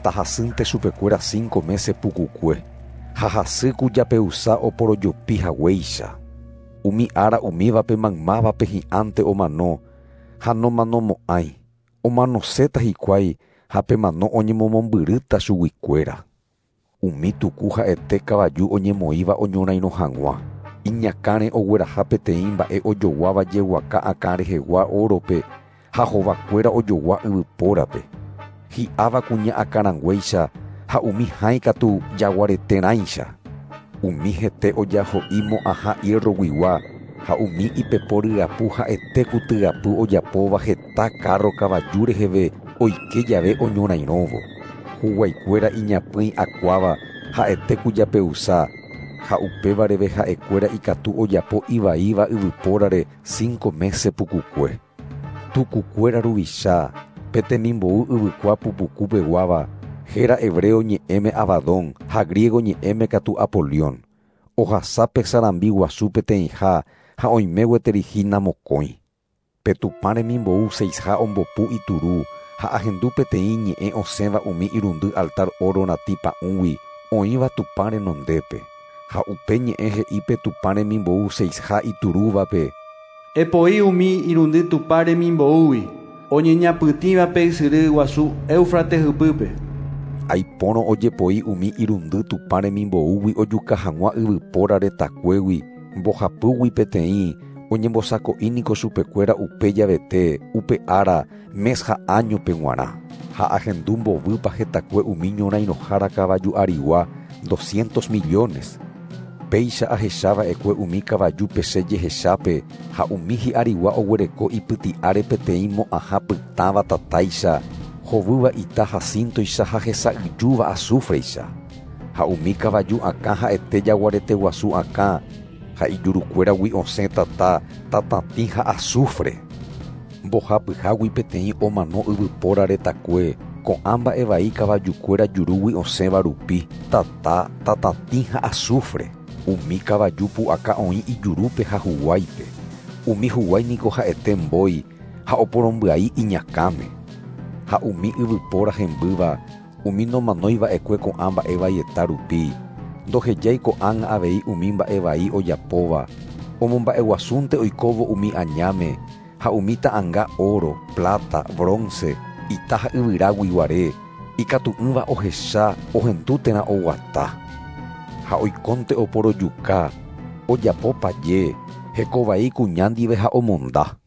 tahasýnte chupekuéra cinco mese pukukue, ha hasýku japeusa oporojopi haguéicha. Umi ára umívape maymávape hi'ánte omano ha nomanomo'ãi, omanoséta hikuái ha pe mano oñemomombyrýta chuguikuéra. Umi tuku ha'ete kavaju oñemoĩva oñorairõ hag̃ua. Iñakãre ogueraha peteĩ mba'e ojoguáva jeguaka akã rehegua órope ha hovakuéra ojogua yvypórape. Hi'áva kuña akãranguéicha ha umi hãi katu jaguareterãicha. Umi hete ojaho'i mo'ãha hierroguigua ha umi ipepo ryapu ha'ete ku tyapu ojapóva heta kárro kavaju reheve oike jave oñorairõvo. Huguaikuéra iñapỹi akuáva ha'ete ku japeusa ha upévareve ha'ekuéra ikatu ojapo ivaíva yvypórare cinco mese pukukue. Tukukuéra ruvicha pe temimbou yvykua pupukupeguáva héra hebreo ñe'ẽme Abadón ha griego ñe'ẽme katu Apolión. Ohasa pe sarambi guasu peteĩha ha oime gueteri hína mokõi. Pe Tupã remimbou seisha ombopu ituru ha ahendu peteĩ ñe'ẽ osẽva umi irundy altar oro ratĩ pa'ũgui oĩva Tupã renondépe. Ha upe ñe'ẽ he'i pe Tupã remimbou seisha iturúvape: Epoi umi irundy Tupã remimboúgui oñeñapytĩva pe ysyry guasu Éufrates ypýpe. Aipórõ ojepoi umi irundy Tupã remimboúgui ojuka hag̃ua yvypóra retakuégui mbohapýgui peteĩ oñembosako'íniko chupekuéra upe javete upe ára mes ha áñope g̃uarã. Ha ahendu mbovýpa hetakue umi ñorairõhára kavaju arigua doscientos millones. Péicha ahechava'ekue umi kavaju pese jehechápe ha umi hi'arigua oguereko ipyti'áre peteĩ mo'ãha pytãva tatáicha hovýva ita jacintoicha ha hesa'yjúva azufreicha. Ha umi kavaju akã ha'ete jaguarete guasu akã ha ijurukuéragui osẽ tata, tatatĩ ha azufre. Mbohapyhágui peteĩ omano yvypóra retakue ko'ã mba'evai kavajukuéra jurúgui osẽva rupi, tata, tatatĩ ha azufre. Umi kavaju pu'aka oĩ ijurúpe ha huguáipe. Umi huguái niko ha'ete mbói ha oporombyai iñakãme. Ha umi yvypóra hembýva, umi nomanoiva'ekue ko'ã mba'evaieta rupi, ndohejái ko'ág̃a avei umi mba'evai ojapóva, omomba'eguasúnte oikóvo umi añáme ha umi ta'ãnga oro, plata, bronce, ita ha yvyraguiguare, ikatu'ỹva ohecha, ohendu térã oguata. Ha oikónte oporojuka, ojapo paje, hekovai kuña ndive ha omonda.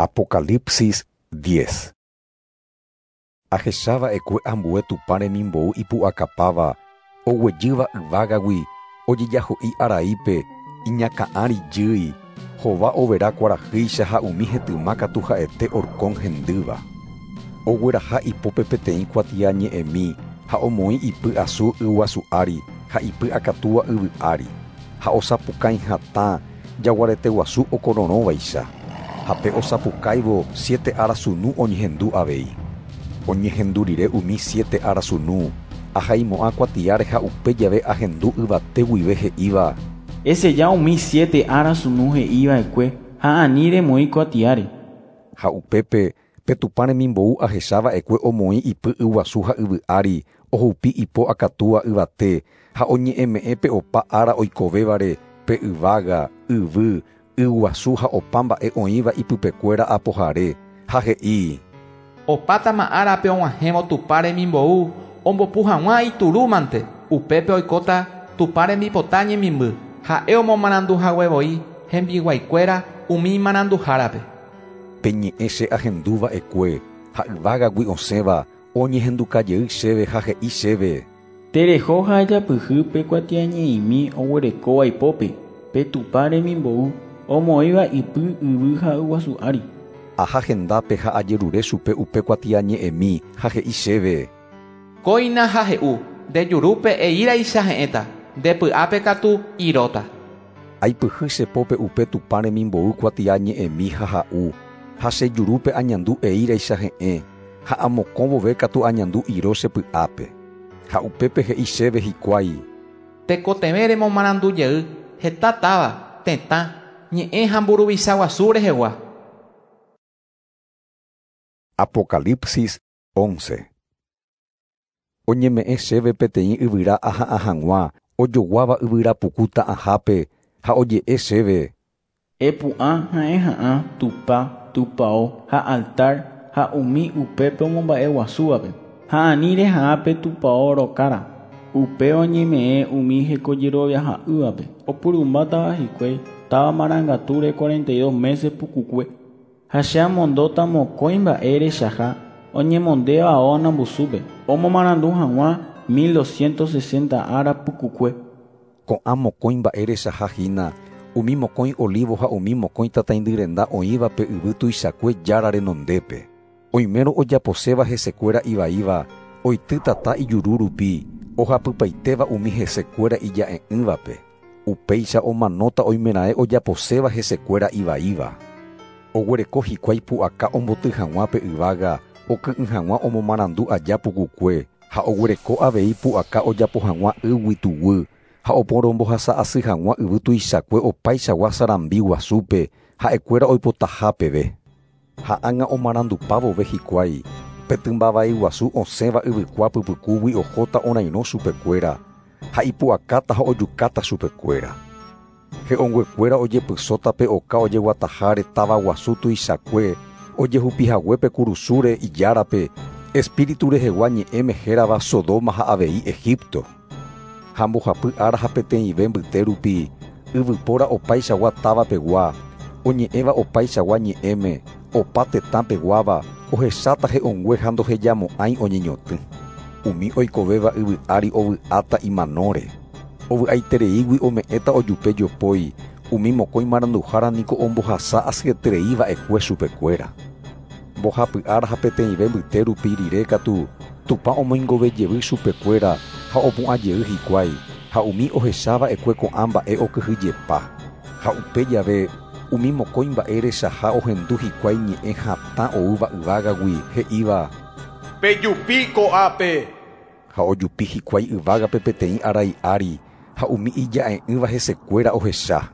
Apocalipsis diez. Ahechava'ekue ambue Tupã remimbou ipu'akapáva, oguejýva yvágagui, ojejaho'i araípe, iñakã'ári jýi, hova overa kuarahýicha ha umi hetyma katu ha'ete horkón hendýva. Ogueraha ipópe peteĩ kuatiañe'ẽmi ha omoĩ ipy asu yguasu ári ha ipy akatúa yvy ári, ha osapukái hatã jaguarete guasu okororõvaicha. Ha pe osapukáivo siete arasunu oñehendu avei. Oñehendu rire umi siete arasunu, ahaimo'ã kuatiáre ha upe jave ahendu yvate guive he'íva: Eseja umi siete arasunu he'iva'ekue ha ani remoĩ kuatiáre. Ha upépe pe Tupã remimbou ahechava'ekue omoĩ ipy yguasu ha yvy ári, ohupi ipo akatúa yvate ha oñe'ẽme'ẽ pe opa ára oikovévare pe yvága, yvy, yguasu ha opa mba'e oĩva ipypekuéra apohare, ha he'i: Opátama árape og̃uahẽvo Tupã remimbou ombopu hag̃ua iturúmante, upépe oikóta Tupã rembipota ñemimby, ha'e omomaranduhaguevoi hembiguaikuéra umi maranduhárape. Pe ñe'ẽ che ahenduva'ekue ha yvágagui osẽva oñehendukajey chéve ha he'i chéve. Tereho ha ejapyhy pe kuatiañe'ẽmi oguerekóva ipópe pe Tupã remimbou omoĩva ipy yvy ha yguasu ári. Aha hendápe ha ajerure chupe upe kuatiañe'ẽmi ha he'i chéve. Kóina ha he'u nde jurúpe eíraicha he'ẽta nde py'ápe katu iróta. Aipyhy che pópe upe Tupã remimbou kuatiañe'ẽmi ha ha'u ha che jurúpe añandu eíraicha he'ẽ ha amokõ vove katu añandu iro che py'ápe. Ha upépe he'i chéve hikuái. Tekotevẽ remomarandu jey heta táva, tetã, ñe'ẽ ha mburuvicha guasu rehegua. Apocalipsis once. Oñeme'ẽ chéve peteĩ yvyra aha'ã hag̃ua ojoguáva yvyra puku ta'ãhápe ha oje'e chéve. Epu'ã ha'eha'ã Tupã, tupão ha altar ha umi upépe omomba'eguasúvape ha ani reha'ã pe tupão rokára upe oñeme'ẽ umi hekojeroviaha'ỹvape opurumbátava hikuái táva marangatúre cuarenta y dos meses pukukue ha che amondóta mokõi mba'e rechaha oñemondéva ao anambusúpe omomarandu hag̃ua mil doscientos sesenta ára pukukue. Ko'ã mokõi mba'e rechaha hína umi mokõi olivo ha umi mokõi tataindy renda oĩva pe yvy tuichakue jára renondépe. Oimérõ ojaposéva hesekuéra ivaíva oity tata ijuru rupi ohapypaitéva umi hesekuéra ija'e'ỹvape. Upéicha omanóta oimeraẽ ojaposéva hesekuéra ivaíva. Oguereko hikuái pu'aka omboty hag̃ua pe yvága oky'ỹ hag̃ua omomarandu aja pukukue ha oguereko avei pu'aka ojapo hag̃ua ýgui tuguy ha oporombohasa asy hag̃ua yvy tuichakue opaichagua sarambi guasúpe ha'ekuéra oipotaha peve. Ha ág̃a omarandupa vove hikuái pe tymbavai guasu osẽva yvykua pypykúgui ohóta orairõ chupekuéra ha ipu'akáta ha ojukáta chupekuéra. He'õnguekuéra ojepysóta pe oka ojeguataháre táva guasu tuichakue ojehupihaguépe kurusúre ijárape espíritu rehegua ñe'ẽme hérava Sodoma ha avei Egipto. Ha mbohapy ára ha peteĩve mbyte rupi yvypóra opaichagua távapegua oñe'ẽva opaichagua ñe'ẽme opa tetãpeguáva ohecháta he'õngue ha ndohejamo'ãi oñeñotỹ. Umi oikovéva yvy ári ovy'áta imanóre. Ovy'aitereígui ome'ẽta ojupe jopói umi mokõi maranduhára niko ombohasa asyetereíva'ekue chupekuéra. Mbohapy ára ha peteĩve mbyte rupi rire katu Tupã omoingovejevy chupekuéra ha opu'ãjey hikuái ha umi ohecháva'ekue ko'ã mba'e okyhyjepa. Ha upe jave umi mokõi mba'e rechaha ohendu hikuái ñe'ẽ hatã oúva yvágagui he'íva Pejupi ko'ápe. Ha ojupi hikuái yvágape peteĩ arai ári ha umi ija'e'ỹva hesekuéra ohecha.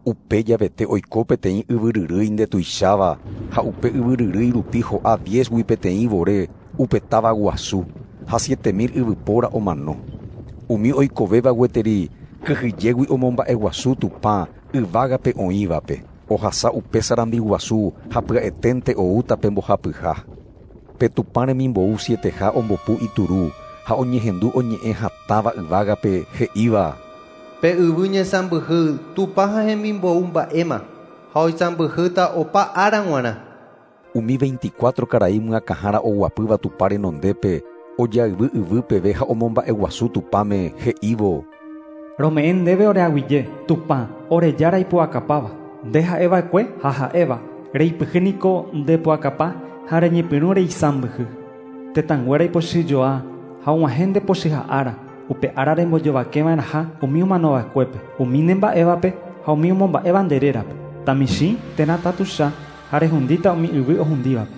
Upe javete oiko peteĩ yvyryrýi ndetuicháva ha upe yvyryrýi rupi ho'a diezgui peteĩ vore upe táva guasu ha siete mil yvypóra omano. Umi oikovéva gueteri kyhyjégui omomba'eguasu Tupã yvágape oĩvape ohasa upe sarambi guasu ha pya'eténte oúta pe mbohapyha. Pe Tupã remimbou sieteha ombopu ituru ha oñehendu oñe'ẽ hatãva yvágape he'íva. Pe yvy ñesãmbyhy Tupã ha hemimbou mba'éma ha oisãmbyhýta opa ára g̃uarã. Umi veinticuatro karai myakãhára oguapýva Tupã renondépe ojayvy yvy peve ha omomba'eguasu Tupãme he'ívo. Rome'ẽ ndéve oreaguyje Tupã orejára ipu'akapáva nde ha'eva'ekue ha ha'éva reipyhy niko ndepu'akapa ha reñepyrũ reisãmbyhy. Tetãnguéra ipochyjoa ha og̃uahẽ ndepochyha ára upe ára rembojovakeva'erãha umi omanova'ekuépe umi nemba'évape ha umi omomba'éva nde rérape tamichĩ térã tatucha ha rehundíta umi yvy ohundívape.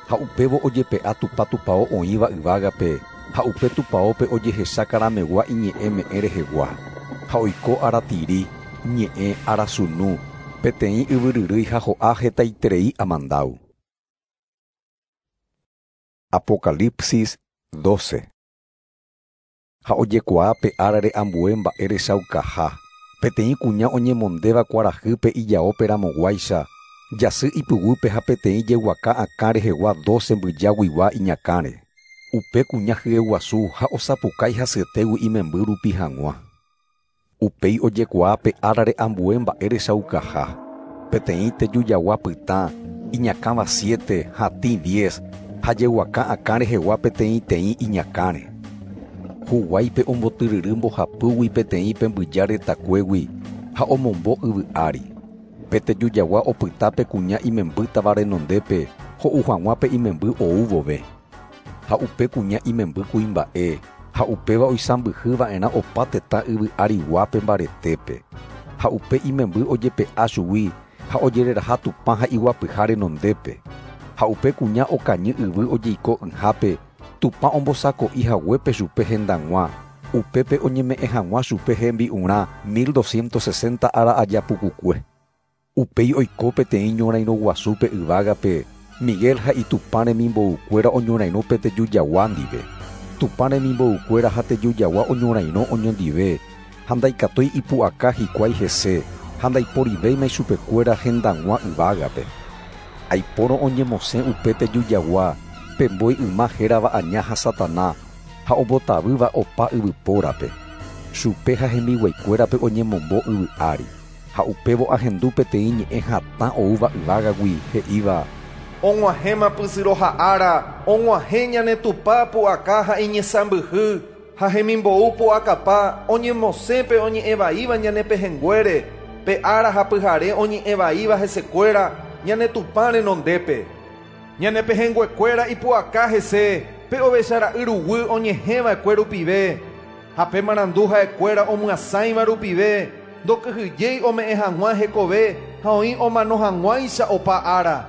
Ha upévo ojepe'a Tupã tupão oĩva yvágape ha upe tupãópe ojehecha karamegua iñe'ẽme'ẽ rehegua ha oiko aratiri ñe'ẽ arasunu peteĩ yvyryrýi ha ho'a hetaiterei amandáu. Apocalipsis doce. Ha ojekuaa pe árare ambue mba'e rechaukaha peteĩ kuña oñemondéva kuarahýpe ijaópe ramoguáicha jasy ipyguýpe ha peteĩ jeguaka akã rehegua doce mbyjaguigua iñakãre. Upe kuña hyeguasu ha osapukái hasyetégui imemby rupi hag̃ua. Upéi ojekuaa pe árare ambue mba'e rechaukaha peteĩ tejujagua pytã iñakãva siete, hatĩ diez, ha jeguaka akã rehegua peteĩteĩ iñakãre. Huguáipe ombotyryry mbohapýgui peteĩ pe mbyja retakuégui ha omombo yvy ári. Pe tejujagua opyta pe kuña imembýtava renondépe ho'u hag̃ua pe imemby ou vove. Ha upe kuña imemby kuimba'e ha upéva oisãmbyhyva'erã opa tetã yvy ariguápe mbaretépe. Ha upe imemby ojepe'a chugui ha ojereraha Tupã ha iguapyha renondépe. Ha upe kuña okañy yvy ojeiko'ỹhápe Tupã ombosako'i haguépe chupe hendag̃ua, upépe oñeme'ẽ hag̃ua chupe hembi'urã mil doscientos sesenta ára aja pukukue. Upéi oiko peteĩ ñorairõ guasúpe yvágape, Miguel ha Itupã remimboukuéra oñorairõ pe tejujagua ndive. Tupã remimboukuéra ha tejujagua oñorairõ oñondive, ha ndaikatúi ipu'aka hikuái hese, ha ndaiporivéima ichupekuéra hendag̃ua yvágape. Aipórõ oñemosẽ upe tejujagua, pe mbói yma hérava aña ha Satana, ha ombotavýva opa yvypórape. Chupe ha hembiguaikuérape oñemombo yvy ári. Ha upévo ahendu peteĩ ñe'ẽ hatã oúva yvágagui he'íva: Og̃uahẽma pysyroha ára, og̃uahẽ ñane Tupã pu'aka ha iñesãmbyhy, ha hemimbou pu'akapa oñemosẽ pe oñe'ẽvaíva ñane pehẽnguére, pe ára ha pyhare oñe'ẽvaíva hesekuéra ñane Tupã renondépe. Ñane pehẽnguekuéra ipu'aka hese, pe ovechara'y ruguy oñehẽva'ekue rupive, ha pe marandu ha'ekuéra omyasãiva rupive, ndokyhyjéi ome'ẽ hag̃ua hekove ha oĩ omano hag̃uáicha opa ára.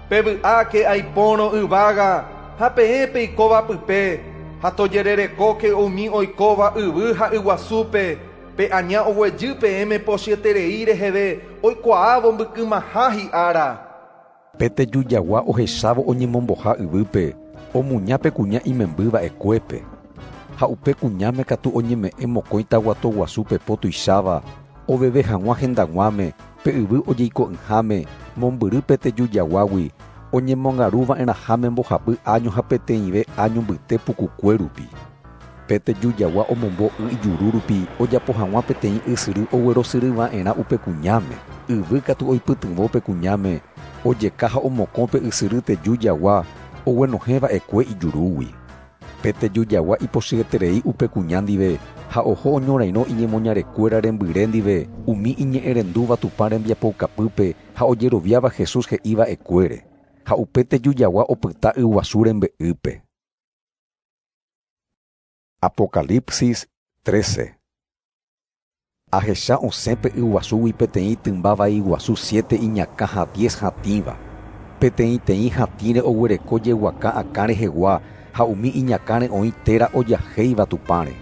Pevy'áke aipórõ yvága ha peẽ peikóva pype, ha tojererekóke umi oikóva yvy ha yguasúpe, pe aña oguejy peẽme pochyeterei reheve oikuaávo mbykymaha hi'ára. Pe tejujagua ohechávo oñemomboha yvýpe, omuña pe kuña imembýva'ekuépe. Ha upe kuñáme katu oñeme'ẽ mokõi taguato guasu pepo tuicháva, oveve hag̃ua hendag̃uáme, pe yvy ojeiko'ỹháme, mombyry pe tejujaguágui, oñemongaruva'erãháme mbohapy año ha peteĩve año mbyte pukukue rupi. Pe tejujagua omombo y ijuru rupi ojapo hag̃ua peteĩ ysyry oguerosyryva'erã upe kuñáme. Yvy katu oipytyvõ pe kuñáme, ojeka ha omokõ pe ysyry tejujagua oguenohẽva'ekue ijurúgui. Pe tejujagua ipochyeterei upe kuña ndive ha oho oñorairõ iñemoñarekuéra rembyre ndive umi iñe'ẽrendúva Tupã rembiapoukapýpe ha ojeroviáva Jesús he'íva'ekuére. Ha upe tejujagua opyta yguasu rembe'ýpe. Apocalipsis trece. Ahecha osẽpe yguasúgui peteĩ tymba vai guasu siete iñakã ha diez hatĩva. Peteĩteĩ hatĩre oguereko jeguaka akã rehegua ha umi iñakãre oĩ téra ojahéiva Tupãre.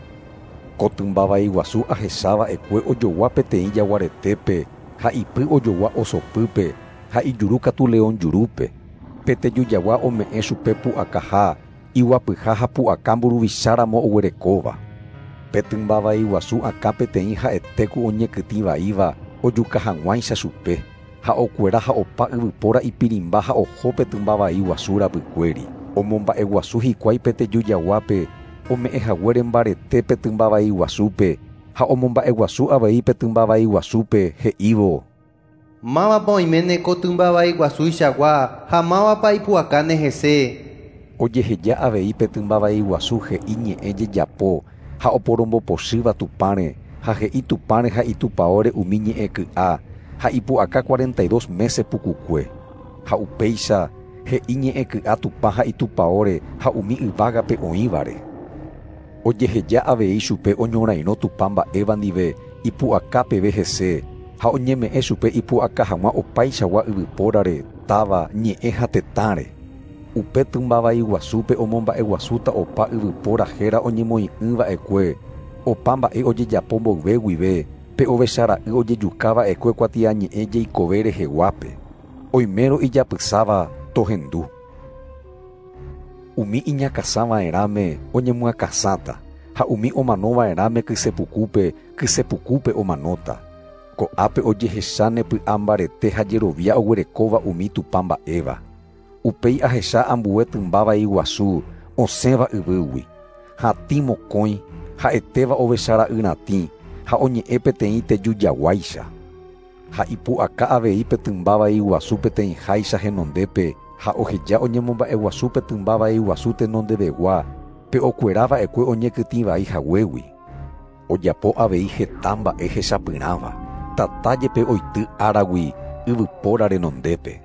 Ko tymba vai guasu ahechava'ekue ojogua peteĩ jaguaretépe ha ipy ojogua osopýpe ha ijuru katu león jurúpe. Pe tejujagua ome'ẽ chupe pu'akaha, iguapyha ha pu'aka mburuvicháramo oguerekóva. Pe tymba vai guasu akã peteĩ ha'etéku oñekytĩvaíva ojuka hag̃uáicha chupe, ha okuera ha opa yvypóra ipirimba ha oho pe tymba vai guasu rapykuéri. Omomba'eguasu hikuái pe tejujaguápe, ome'ẽ haguére mbarete pe tymba vai guasúpe, ha omomba'eguasu avei pe tymba vai guasúpe he'ívo: Mávapa oiméne ko tymba vai guasúichagua ha mávapa ipu'akáne hese. Ojeheja avei pe tymba vai guasu he'i ñe'ẽ jejapo ha oporombopochýva Tupãre, ha he'i Tupãre ha itupaóre umi ñe'ẽ ky'a ha ipu'aka cuarenta y dos meses pukukue. Ha upéicha he'i ñe'ẽ ky'a Tupã ha itupaóre ha umi yvágape oĩvare. Ojeheja avei chupe oñorairõ Tupã mba'éva ndive ipu'aka peve hese, ha oñeme'ẽ chupe ipu'aka hag̃ua opaichagua yvypórare, táva, ñe'ẽ ha tetãre. Upe tymba vai guasúpe omomba'eguasúta opa yvypóra héra oñemoĩ'ỹva'ekue, opa mba'e ojejapo mboyve guive, pe ovechara'y ojejukava'ekue kuatiañe'ẽ jeikove reheguápe. Oimérõ ijapysáva tohendu. Umi iñakãsãva'erãme oñemyakãsãta, ha umi omanova'erãme kysepukúpe, kysepukúpe omanóta. Ko'ápe ojehecháne py'a mbarete ha jerovia oguerekóva umi Tupã mba'éva. Upéi ahecha ambue tymba vai guasu osẽva yvýgui. Hatĩ mokõi, ha'etéva ovechara'y ratĩ, ha oñe'ẽ peteĩ tejujaguáicha. Ha ipu'aka avei pe tymba vai guasu peteĩháicha henondépe ha oheja oñemomba'eguasu pe tymba vai guasu tenondevegua pe okuerava'ekue oñekytĩvai haguégui. Ojapo avei heta mba'e hechapyrãva, tata jepe oity áragui yvypóra renondépe.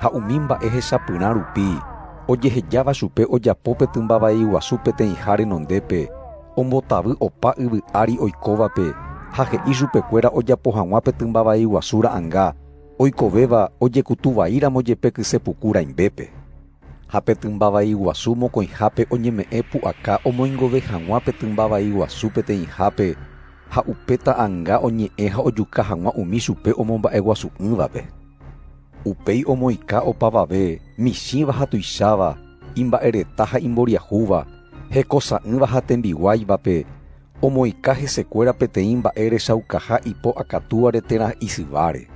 Ha umi mba'e hechapyrã rupi ojehejáva chupe ojapo pe tymba vai guasu peteĩha renondépe ombotavy opa yvy ári oikóvape ha he'i chupekuéra ojapo hag̃ua pe tymba vai guasu ra'ãnga oikovéva ojekutuvaíramo jepe kysepuku rãimbépe. Ha pe tymba vai guasu mokõihápe oñeme'ẽ pu'aka omoingove hag̃ua pe tymba vai guasu peteĩhápe ha upe ta'ãnga oñe'ẽ ha ojuka hag̃ua umi chupe omomba'eguasu'ỹvape. Upéi omoĩka opavave michĩva ha tuicháva, imba'ereta ha imboriahúva, hekosa'ỹva ha tembiguáivape, omoĩka hesekuéra peteĩ mba'e rechaukaha ipo akatúare térã isyváre.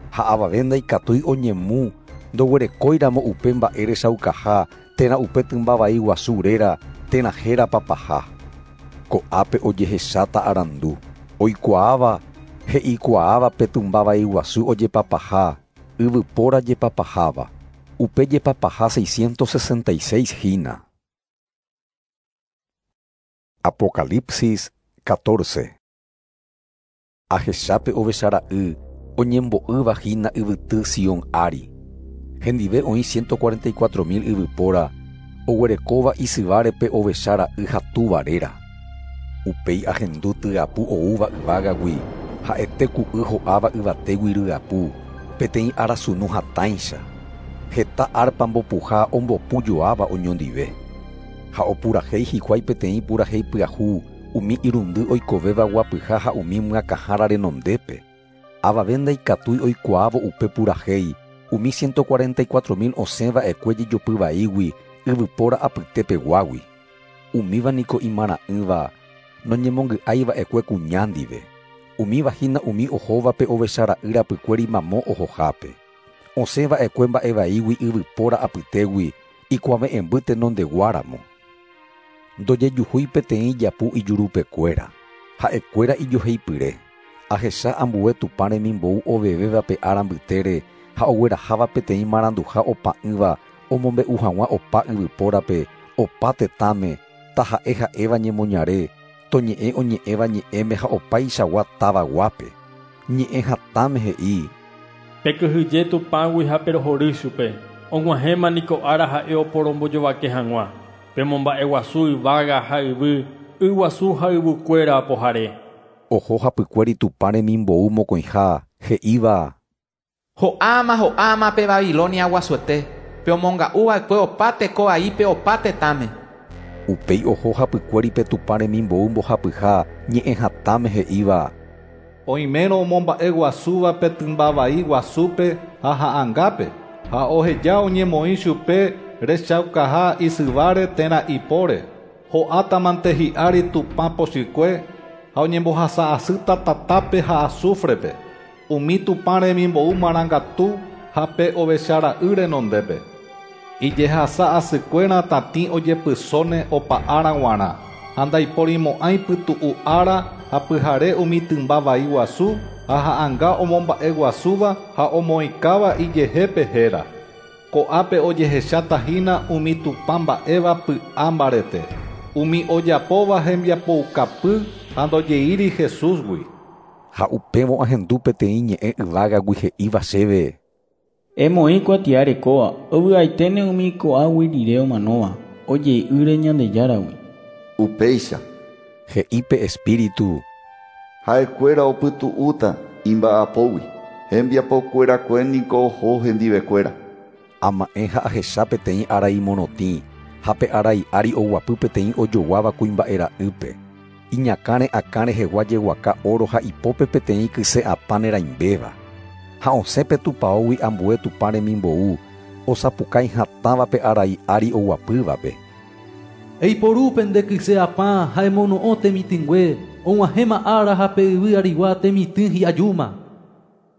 Ha avave ndaikatúi oñemu ndoguerekóiramo upe mba'e rechaukaha térã upe tymba vai guasu réra térã héra papaha. Ko'ápe ojehecháta arandu, oikuaáva he'ikuaáva pe tymba vai guasu ojepapaha, yvypóra jepapaháva, upe jepapaha seiscientos sesenta y seis hína. Apocalipsis catorce. Ahechápe ovechara'y oñembo'ýva hína yvyty Sion ári. Hendive oĩ ciento cuarenta y cuatro mil yvypóra oguerekóva isyvárepe ovechara'y hatúva réra. Upéi ahendu tyapu oúva yvágagui ha'ete ku'y ho'áva yvatégui ryapu peteĩ arasunu hatãicha. Heta arpa mbopuha ombopu joáva oñondive. Ha opurahéi hikuái peteĩ purahéi pyahu umi irundy oikovéva guapyha ha umi myakãhára renondépe. Avave ndaikatúi oikuaávo upe purahéi umi ciento cuarenta y cuatro mil osẽva'ekue jejopyvaígui yvypóra apytépeguágui. Umíva niko imara'ỹva noñemongy'aiva'ekue kuña ndive. Umíva hína umi ohóvape ovechara'y rapykuéri mamo ohohápe. Osẽva'ekue mba'evaígui yvypóra apytégui ikuave'ẽmby tenondeguáramo. Ndojejuhúi peteĩ japu ijurupekuéra. Ha'ekuéra ijoheipyre. Ahecha ambue Tupã remimbou ovevéva pe ára mbytére ha ogueraháva peteĩ maranduha opa'ỹva omombe'u hag̃ua opa yvypórape, opa tetãme, taha'e ha'éva ñemoñare, toñe'ẽ oñe'ẽva ñe'ẽme ha opaichagua tavaguápe. Ñe'ẽ hatãme he'i: Pekyhyje Tupãgui ha perohory chupe, og̃uahẽma niko ára ha'e oporombojovake hag̃ua. Pemomba'eguasu yvága ha yvy, yguasu ha yvykuéra apohare. Oho hapykuéri Tupã remimbou mokõiha he'íva: Ho'áma ho'áma pe Babilonia guasuete, pe omonga'uva'ekue opa teko vaípe opa tetãme. Upéi oho hapykuéri pe Tupã remimbou mbohapyha ñe'ẽ hatãme he'íva: Oimérõ omomba'eguasúva pe tymba vai guasúpe ha ha'ãngápe, ha oheja oñemoĩ chupe rechaukaha isyváre térã ipóre, ho'átamante hi'ári Tupã pochykue ha oñembohasa'asýta tatápe ha azufrepe, umi Tupã remimbou marangatu ha pe ovechara'y renondépe. Ijehasa'asykuéra tatĩ ojepysóne opa ára g̃uarã, ha ndaiporimo'ãi pytu'u ára ha pyhare umi tymba vai guasu ha ha'ãnga omomba'eguasúva ha omoĩkáva ijehépe héra. Ko'ápe ojehecháta hína umi Tupã mba'éva py'a mbarete, umi ojapóva hembiapoukapy ha ndojeíri Jesúsgui. Ha upévo ahendu peteĩ ñe'ẽ yvágagui he'íva chéve: Emoĩ kuatia rekóva, ovy'aiténe umi ko'águi rire omanóva, ojei'ỹre Ñandejáragui. Upéicha, he'i pe Espíritu, ha'ekuéra opytu'úta imba'apógui, hembiapokuerakue niko oho hendivekuéra. Ama'ẽ ha ahecha peteĩ arai morotĩ, ha pe arai ári oguapy peteĩ ojoguáva kuimba'e ra'ýpe. Iñakãre akã rehegua jeguaka oro ha ipópe peteĩ kyse apã nerãimbéva. Ha osẽ pe tupãógui ambue Tupã remimbou, osapukái hatãva pe arai ári oguapývape. Eiporu pende kyse apã ha emono'õ temitỹngue, og̃uahẽma ára ha pe yvy arigua temitỹ hi'ajúma.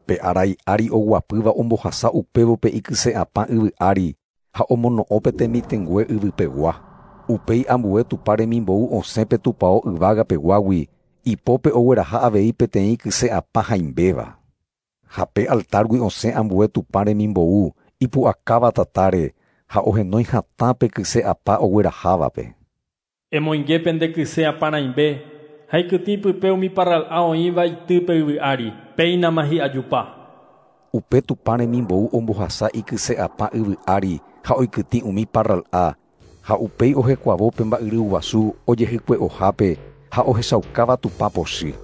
Pe arai ári oguapýva ombohasa upévo pe ikyse apã yvy ári ha omono'õ pe temitỹngue yvypegua. Upéi ambue Tupã remimbou osẽ pe tupão yvágapeguágui, ipópe ogueraha avei peteĩ kyse apã hãimbéva. Ha pe altargui osẽ ambue Tupã remimbou ipu'akáva tatáre ha ohenói hatã pe kyse apa oguerahávape. Emoinge pende kyse apãraimbe ha ikytĩ pype umi parral'a oĩva itýpe yvy ári, péinama hi'ajupa. Upe Tupã remimbou ombohasa ikyse apa yvy ári ha oikytĩ umi parral'a ha upéi ohekuavo pe mba'yruguasu ojehykue'ohápe ha ohechaukáva Tupã pochy.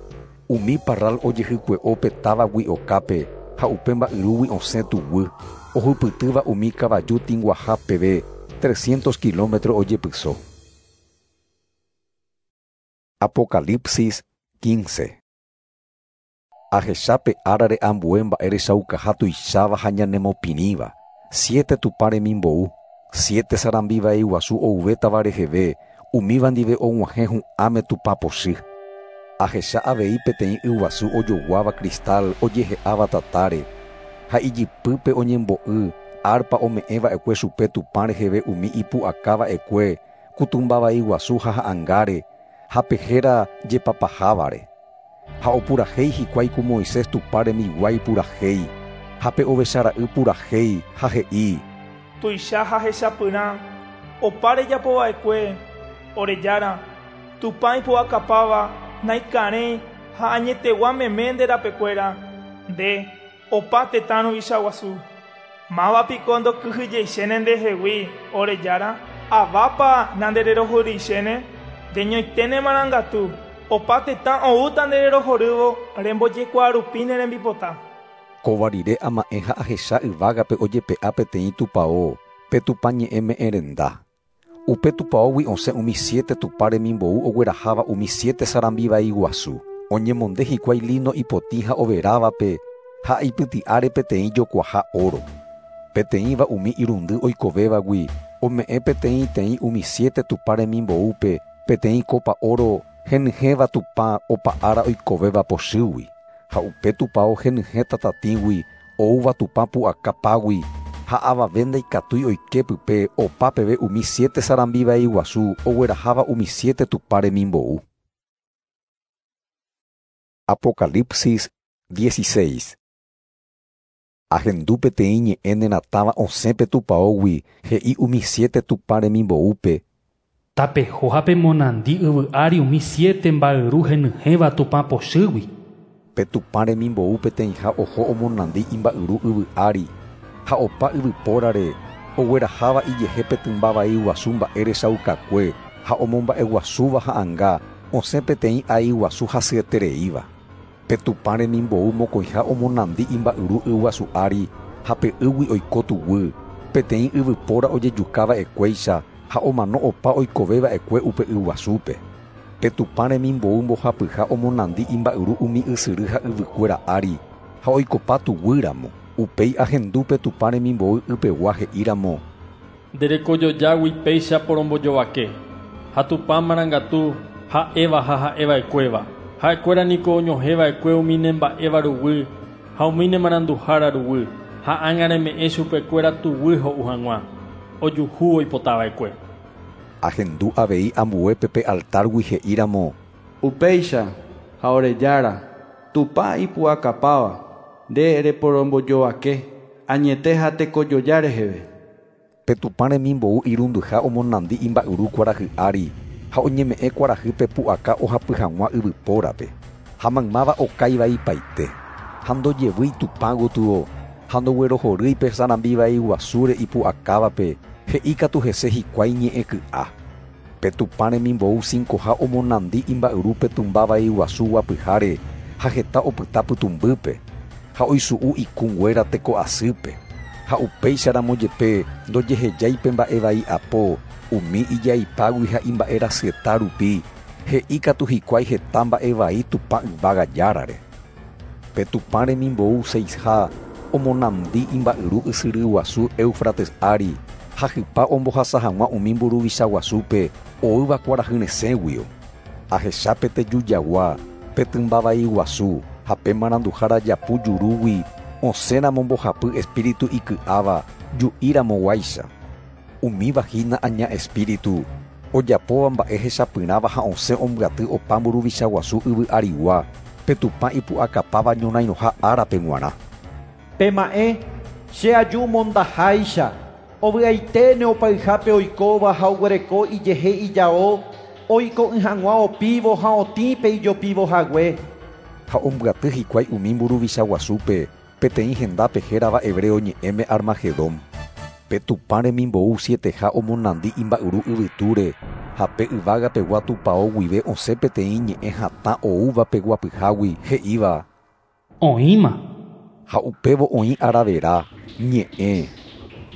Umi parral ojehykue'o pe távagui okápe ha upe mba'yrúgui osẽ tuguy ohupytýva umi kavaju tĩguaha peve trescientos kilómetro ojepyso. Apocalipsis quince. Ahecha pe árare ambue mba'erechaukaha tuicháva ha ñanemopirĩva, siete Tupã remimbou, siete sarambi vai guasu ouvétava reheve, umíva ndive og̃uahẽ hu'ãme Tupã pochy. Ahecha avei peteĩ yguasu ojoguáva cristal ojehe'áva tatáre, ha ijypýpe oñembo'y arpa ome'ẽva'ekue chupe Tupã reheve umi ipu'akava'ekue kutumbavai guasu ha ha'ãngáre, ha pe héra jepapahávare. Ha opurahéi hikuái ku Moisés Tupã rembiguái purahéi, ha pe ovechara'y purahéi ha he'i: Tuicha ha hechapyrã opa rejapova'ekue ore Jára, Tupã ipu'akapáva naikarẽ ha añetegua meme nde rapekuéra, nde opa tetã ruvicha guasu. Mávapiko ndokyhyjeichéne ndehegui ore Jára, avápa nandererohorýichéne, ndeñoiténe marangatu, opa tetã oúta ndererohorývo rembojekuaa ne rembipota. Kóva rire ama'ẽ ha ahecha yvágape ojepe'a peteĩ tupão, pe Tupã ñe'ẽme'ẽ renda. Upe tupãógui osẽ umi siete Tupã remimbou ogueraháva umi siete sarambi vai guasu. Oñemonde hikuái lino ipotĩ ha overávape ha ipyti'áre peteĩ jokuaha oro. Peteĩva umi irundy oikovévagui ome'ẽ peteĩteĩ umi siete Tupã remimboúpe peteĩ copa oro henyhẽva Tupã opa ára oikovéva pochýgui. Ha upe tupão henyhẽ tatatĩgui oúva Tupã pu'akapágui ha avave ndaikatúi oike pype opa peve umi siete sarambi vai guasu ogueraháva umi siete Tupã remimbou. Apocalipsis dieciséis. Ahendu peteĩ ñe'ẽ neratãva osẽ pe tupãógui he'i umi siete Tupã remimboúpe: Tapeho ha pemonandi yvy ári umi siete mba'yru henyhẽva Tupã pochýgui. Pe Tupã remimbou peteĩha oho omonandi imba'yru yvy ári ha opa yvypórare ogueraháva ijehe pe tymba vai guasu mba'erechaukakue ha omomba'eguasúva ha'ãnga osẽ peteĩ ai guasu hasyetereíva. Pe Tupã remimbou mokõiha omonandi imba'yru yguasu ári ha pe ýgui oiko tuguy, peteĩ yvypóra ojejukava'ekuéicha ha omano opa oikoveva'ekue upe yguasúpe. Pe Tupã remimbou mbohapyha omonandi imba'yru umi ysyry ha yvykuéra ári ha oikopa tuguýramo. Upéi ahendu pe Tupã remimbou ypegua he'íramo: Nderekojojágui péicha porombojovake, ha Tupã marangatu ha'éva ha ha'eva'ekuéva. Ha'ekuéra niko oñohẽva'ekue umi nemba'éva ruguy ha umi nemaranduhára ruguy, ha ág̃a reme'ẽ chupekuéra tuguy ho'u hag̃ua, ojuhu oipotava'ekue. Ahendu avei ambuépe pe altargui he'íramo: Upéicha ha ore Jára, Tupã ipu'akapáva, nde reporombojovake añete ha tekojoja reheve. Pe Tupã remimbou irundyha omonandi imba'yru kuarahy ári ha oñeme'ẽ kuarahýpe pu'aka ohapy hag̃ua yvypórape. Ha maymáva okaivaipaite, ha ndojevýi Tupã gotyo, ha ndoguerohorýi pe sarambi vai guasúre ipu'akávape, he'íkatu hese hikuái ñe'ẽ ky'a. Pe Tupã remimbou cincoha omonandi imba'yru pe tymba vai guasu guapyháre ha heta opyta pytũmbýpe, ha oisu'u ikũnguéra teko asýpe. Ha upéicharamo jepe ndojehejái pe mba'e vai apo umi ijaipágui ha imba'erasyeta rupi, he'íkatu hikuái heta mba'e vai Tupã yvága Járare. Pe Tupã remimbou seisha omonandi imba'yru ysyry guasu Éufrates ári ha hypa ombohasa hag̃ua umi mburuvicha guasúpe oúva kuarahy resẽguio. Ahecha pe tejujagua, pe tymba vai guasu ha pe maranduhára japu jurúgui osẽramo mbohapy espíritu iky'áva ju'íramoguáicha. Umíva hína aña espíritu ojapóva mba'e hechapyrãva ha osẽ ombyaty opa mburuvicha guasu yvy arigua pe Tupã ipu'akapáva ñorairõha árape g̃uarã. Pema'ẽ, che aju mondaháicha, ovy'aiténe opayhápe oikóva ha oguereko ijehe ijao, oiko'ỹ hag̃ua opívo ha otĩpe ijopívo hague. Ha ombyaty hikuái umi mburuvicha guasúpe peteĩ hendápe hérava hebreo ñe'ẽme Armagedón. Pe Tupã remimbou sieteha omonandi imba'yru yvytúre ha pe yvágapegua tupão guive osẽ peteĩ ñe'ẽ hatã oúva pe guapyhágui he'íva: Oĩma. Ha upévo oĩ aravera, ñe'ẽ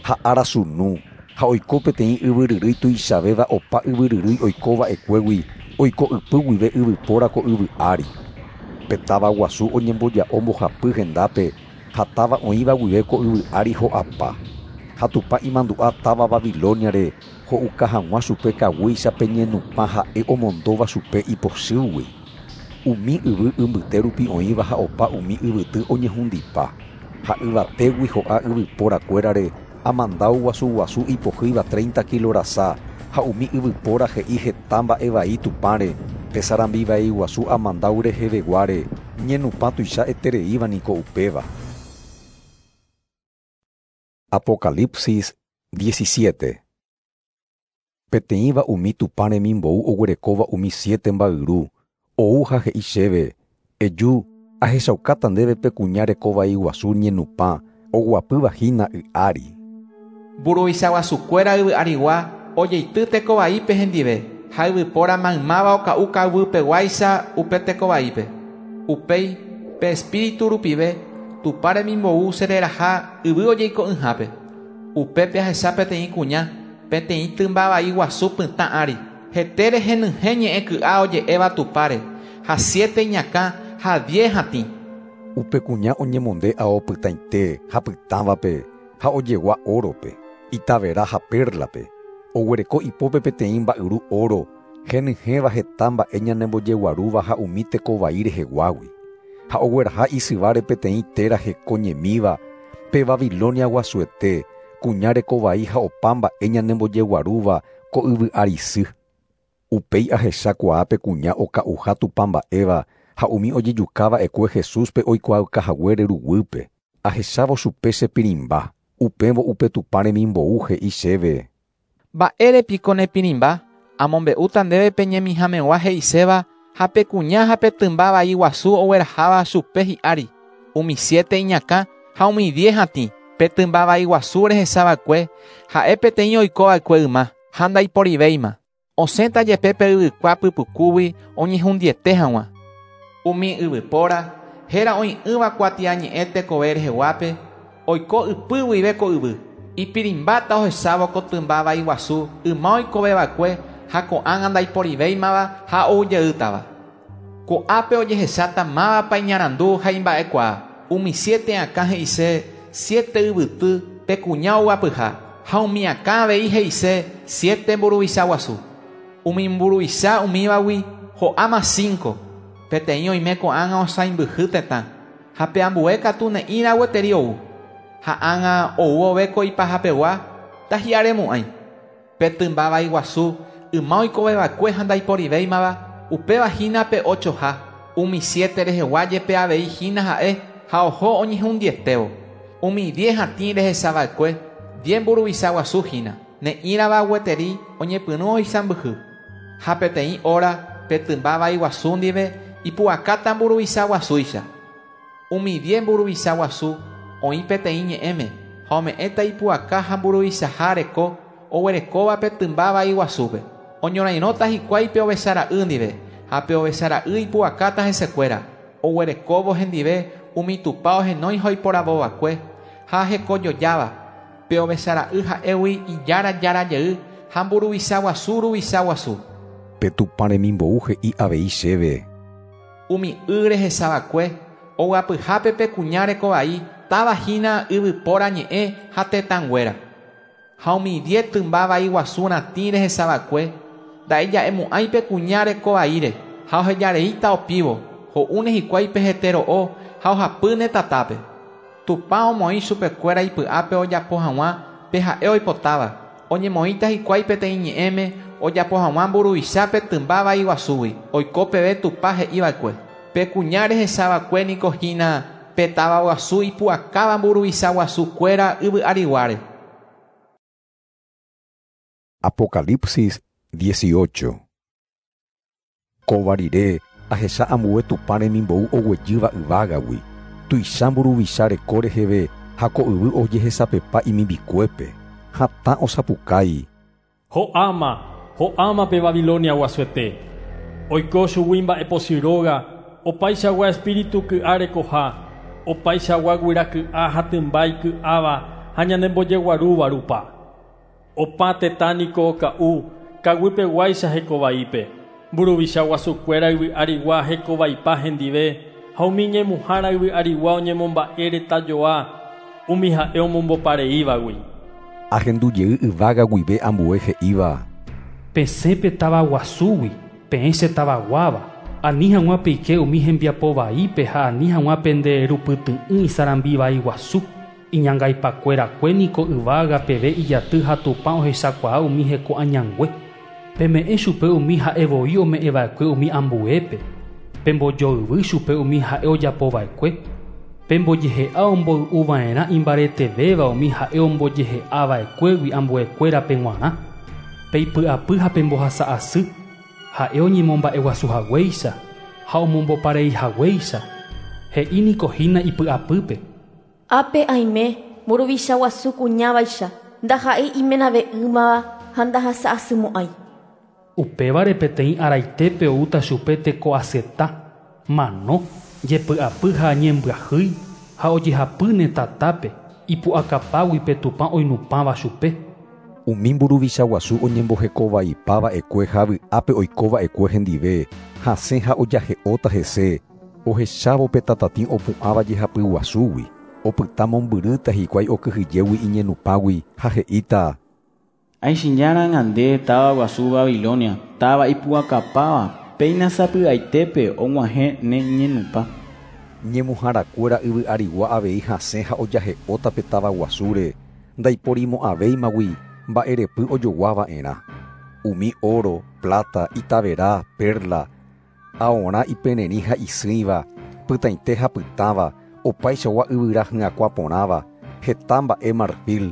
ha arasunu ha oiko peteĩ yvyryrýi tuichavéva opa yvyryrýi oikova'ekuégui oiko ypy guive yvypóra ko yvy ári. Pe táva guasu oñemboja'o mbohapy hendápe ha táva oĩva guive ko yvy ári ho'apa. Ha Tupã imandu'a táva Babiloniare ho'uka hag̃ua chupe kaguýicha pe ñenupã ha'e omondóva chupe ipochýgui. Umi yvy imbyte rupi oĩva ha opa umi yvyty oñehundipa. Ha yvatégui ho'a yvyporakuérare amandáu guasu guasu ipohýiva treinta kilo rasa ha umi yvypóra he'i heta mba'e vai Tupãre pe sarambi vai guasu amandáu reheveguáre ñenupã tuicha etereíva niko upéva. Apocalipsis diecisiete. Peteĩva umi Tupã remimbou oguerekóva umi siete mba'yru, ou ha he'i chéve: Eju, ahechaukáta ndéve pe kuña rekovai guasu ñenupã, oguapýva hína y ári. Mburuvicha guasukuéra yvy arigua ojeity tekovaípe hendive ha yvypóra maymáva oka'u ka'aguýpeguáicha upe tekovaípe. Upéi pe espíritu rupive Tupã remimbou chereraha yvy ojeiko'ỹhápe. Upépe ahecha peteĩ kuña, peteĩ tymba vai guasu pytã ári. Hetére henyhẽ ñe'ẽ ky'a oje'éva Tupãre, ha siete iñakã ha diez hatĩ. Upe kuña oñemonde ao pytãite ha pytãvape ha ojegua órope, itavera ha perlape. Oguereko ipópe peteĩ mba'yru oro, henyhẽva heta mba'e ñanembojeguarúva ha umi tekovai reheguágui. Ha ogueraha isyváre peteĩ téra hekoñemíva, pe Babilonia guasuete, kuña rekovai ha opa mba'e ñanembojeguarúva ko yvy ári sy. Upéi ahechakuaa pe kuña oka'uha Tupã mba'éva ha umi ojejukava'ekue Jesúspe oikuaaukahaguére ruguýpe. Ahechávo chupe chepirimba, upévo upe Tupã remimbou he'i chéve: Mba'érepiko nepirimba, amombe'úta ndéve pe ñemihamegua he'iséva ha pe kuña ha pe tymba vai guasu ogueraháva chupe hi'ári, umi siete iñakã ha umi diez hatĩ. Pe tymba vai guasu rehechava'ekue ha'e peteĩ oikova'ekue yma ha ndaiporivéima. Osẽta jepe pe yvykua pypukúgui oñehundiete hag̃ua. Umi yvypóra héra oĩ'ỹva kuatiañe'ẽ tekove reheguápe oiko ypy guive ko yvy. Ipirimbáta ohechávo ko tymba vai guasu yma oikoveva'ekue ha ko'ág̃a ndaiporivéimava ha oujeýtava. Ko'ápe ojehecháta mávapa iñarandu ha imba'ekuaa. Umi siete akã he'ise siete yvyty pe kuña oguapyha ha umi akã avei he'ise siete mburuvicha guasu. Umi mburuvicha umívagui ho'áma cinco. Peteĩ oime ko'ág̃a osãimbyhy tetã ha pe ambue katu ne'ĩra gueteri ou. Ha ág̃a ou ove ko ipahapegua tahi'aremo'ãi. Pe tymba vai guasu yma oikoveva'ekue ha ndaiporivéimava upéva hína pe ochoha. Umi siete rehegua jepe avei hína ha'e ha oho oñehundietévo. Umi diez hatĩ rehechava'ekue diez mburuvicha guasu hína ne'ĩrava gueteri oñepyrũ oisãmbyhy. Ha peteĩ hora pe tymba vai guasu ndive ipu'akáta mburuvicha guasúicha. Umi diez mburuvicha guasu oĩ peteĩ ñe'ẽme ha ome'ẽta ipu'aka ha mburuvichaha reko oguerekóva pe tymba vai guasúpe. Oñorairõta hikuái pe ovechara'y ndive ha pe ovechara'y ipu'akáta hesekuéra oguerekóvo hendive umi Tupã ohenói ha oiporavova'ekue ha hekojojáva. Pe ovechara'y ha'égui ijára jára jey ha mburuvicha guasu ruvicha guasu. Pe Tupã remimbou he'i avei chéve: Umi y rehechava'ekue oguapyhápe pe kuña rekovai táva hína yvypóra ñe'ẽ ha tetãnguéra. Ha umi diez tymba vai guasu ratĩ rehechava'ekue nda'eja'emo'ãi pe kuña rekovaíre ha ohejareíta opívo ho'úne hikuái pe hete ro'o ha ohapýne tatápe. Tupã omoĩ chupekuéra ipy'ápe ojapo hag̃ua pe ha'e oipotáva. Oñemoĩta hikuái peteĩ ñe'ẽme ojapo hag̃ua mburuvicha pe tymba vai guasúgui oiko peve Tupã he'iva'ekue. Pe kuña rehechava'ekue niko hína pe táva guasu ipu'akáva mburuvicha guasukuéra yvy ariguáre. Apocalipsis dieciocho. Kóva rire ahecha ambue Tupã remimbou oguejýva yvágagui, tuicha mburuvicha reko reheve ha ko yvy ojehesapepa imimbikuépe, hatã osapukái. Ho'áma, ho'áma pe Babilonia guasuete. Oiko chugui mba'epochy róga, opaichagua espíritu ky'a rekoha, opaichagua guyra ky'a ha tymba iky'áva ha ñanembojeguarúva rupa. Opa tetã niko oka'u, kaguýpeguáicha hekovaípe. Mburuvicha guasukuéra yvy arigua hekovaipa hendive ha umi ñemuhára yvy arigua oñemomba'e retajoa umi ha'e omombopareívagui. Ahendu jey yvága guive ambue he'íva. Pesẽ pe táva guasúgui, peẽ che tavaguáva, ani hag̃ua peike umi hembiapo vaípe ha ani hag̃ua pende rupyty'ỹ isarambi vai guasu. Iñangaipakuerakue niko yvága peve ijaty ha Tupã ohechakuaa umi heko añangue. Peme'ẽ chupe umi ha'evoi ome'ẽva'ekue umi ambuépe, pembojoyvy chupe umi ha'e ojapova'ekue, pembojehe'a omboy'uva'erã imbaretevéva umi ha'e ombojehe'ava'ekuégui ambuekuérape g̃uarã, peipy'apy ha pembohasa'asy, ha'e oñemomba'eguasuhaguéicha ha omombopareihaguéicha, he'i niko hína ipy'apýpe. Ápe aime mburuvicha guasu kuñávaicha, ndaha'éi imenave'ỹmava ha ndahasa'asymo'ãi. Upévare peteĩ araitépe oúta chupe teko'asyeta, mano, jepy'apy ha ñembyahýi ha ojehapýne tatápe ipu'akapágui pe Tupã oinupãva chupe. Umi mburuvicha guasu oñembohekovaipava'ekue ha vy'ápe oikova'ekue hendive, hasẽ ha ojahe'óta hese, ohechávo pe tatatĩ opu'ãva jehapy guasúgui, opyta mombyrýta hikuái okyhyjégui iñenupãgui ha he'íta. Aichĩjáranga nde táva guasu Babilonia, táva ipu'akapáva, péina sapy'aitépe og̃uahẽ ne ñenupã. Ñemuharakuéra yvy arigua avei hasẽ ha ojahe'óta pe táva guasúre, ndaiporimo'ãvéimagui mba'erepy ojoguava'erã. Umi oro, plata, itavera, perla, aorã ipererĩ ha isỹiva, pytãite ha pytãva, opaichagua yvyra hyakuã porãva, heta mba'e marfil,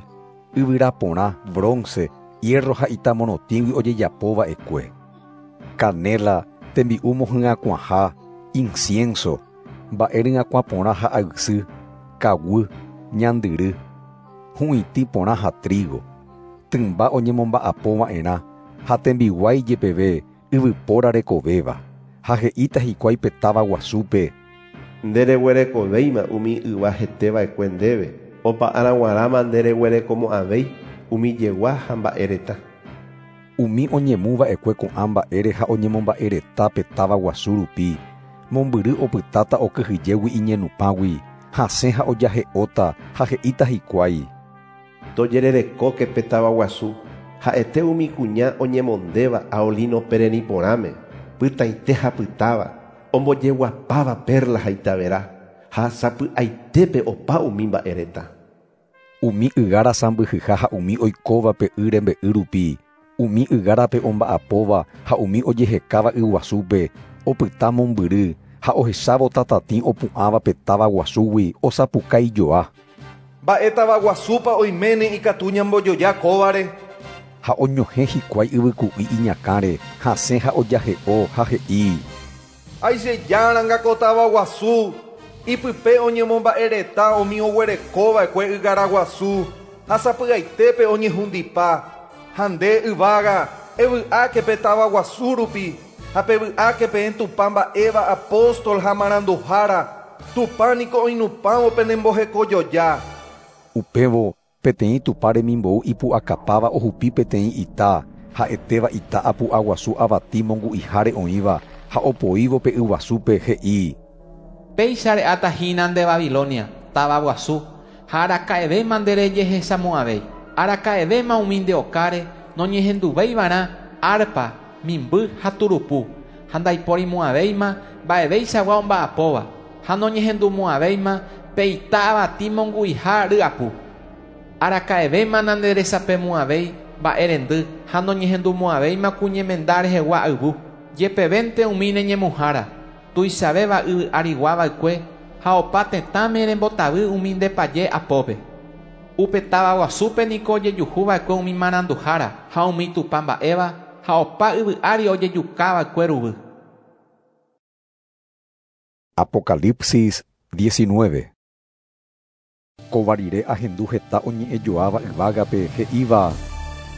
yvyra porã, bronce, hierro ha itamonotĩgui ojejapova'ekue. Canela, tembi'u mohyakuãha, incienso, mba'e ryakuã porã ha aysy, kaguy, ñandyry, hu'itĩ porã ha trigo, tymba oñemomba'apova'erã ha tembiguái jepeve yvypóra rekovéva, ha he'íta hikuái pe táva guasúpe. Ndereguerekovéima umi yva heteva'ekue ndéve, opa arag̃uarãma ndereguerekomo'ãvéi umi jegua ha mba'ereta. Umi oñemuva'ekue ko'ã mba'ére ha oñemomba'ereta pe táva guasu rupi, mombyry opytáta okyhyjégui iñenupãgui, hasẽ ha ojahe'óta ha he'íta hikuái. Tojererekóke pe táva guasu, ha'ete umi kuña oñemondéva ao lino pererĩ porãme, pytãite ha pytáva, ombojeguapáva perla ha itavera, ha sapy'aitépe opa umi mba'ereta. Umi ygára sãmbyhyha ha umi oikóva pe y rembe'y rupi, umi ygárape omba'apóva ha umi ojehekáva yguasúpe, opyta mombyry ha ohechávo tatatĩ opu'ãva pe táva guasúgui osapukaijoa. Mba'e táva guasúpa oiméne ikatu ñambojoja kóvare. Ha oñohẽ hikuái yvyku'i iñakãre, hasẽ ha ojahe'o ha he'i. Aichejáranga ko táva guasu, ipype oñemomba'ereta umi oguerekova'ekue ygára guasu, ha sapy'aitépe oñehundipa, ha nde yvága, evy'áke pe táva guasu rupi, ha pevy'áke peẽ Tupã mba'éva apóstol ha maranduhára, Tupã niko oinupãvo penembohekojoja. Upévo peteĩ Tupã remimbou ipu'akapáva ohupi peteĩ ita, ha'etéva ita apu'a guasu avati mongu'iháre oĩva ha opoívo pe yguasúpe he'i. Péicha re'áta hína nde Babilonia, táva guasu, ha araka'evéma nderejehechamo'ãvéi. Araka'evéma umi nde okáre noñehenduvéivarã arpa, mimby ha turupu, ha ndaiporimo'ãvéima mba'evéichagua omba'apóva, ha noñehendumo'ãvéima pe ita avati mongu'iha ryapu. Araka'evéma nanderesapemo'ãvéi mba'erendy ha noñehendumo'ãvéima kuñemenda rehegua ayvu. Jepevénte umi neñemuhára, tuichavéva yvy ariguava'ekue, Ha opa tetãme rembotavy umi ndepaje apópe. Upe táva guasúpe niko ojejuhuva'ekue umi maranduhára ha umi tupãmba'éva ha opa yvy ári ojejukava'ekue ruvy. Apocalipsis diecinueve. Kóva rire ahendu heta oñe'ẽjoáva yvágape he'íva: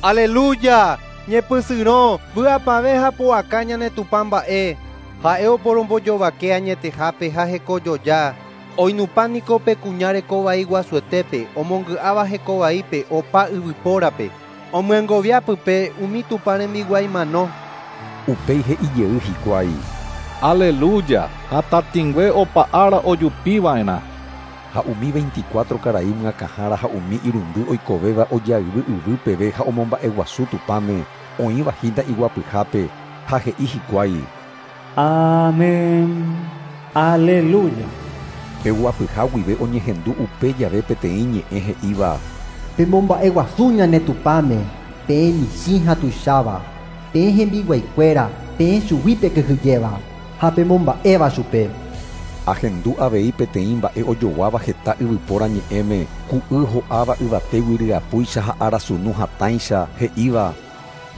Aleluya! Ñepysyrõ vy'apavẽ ha pu'aka ñane Tupã mba'e. Ha'e oporombojovake añetehápe ha hekojoja. Oinupã niko pe kuña rekovai guasuetépe, omongy'áva hekovaípe opa yvypórape. Omyengoviápype umi Tupã rembiguái mano. Upéi he'ijey hikuái: Aleluya! Ha tatĩngue opa ára ojupiva'erã. Ha umi veinticuatro karai myakãhára ha umi irundy oikovéva ojayvy yvy peve ha omomba'eguasu Tupãme oĩva hína iguapyhápe ha he'i hikuái: Amén. Aleluya. Pe guapyha guive oñehendu upe jave peteĩ ñe'ẽ he'íva: Pemomba'eguasu ñane Tupãme, peẽ michĩ ha tuicháva, peẽ hembiguaikuéra, peẽ chugui pekyhyjéva ha pemomba'éva chupe. Ahendu avei peteĩ mba'e ojoguáva heta yvypóra ñe'ẽme, ku'y ho'áva yvatégui ryapúicha ha arasunu hatãicha he'íva: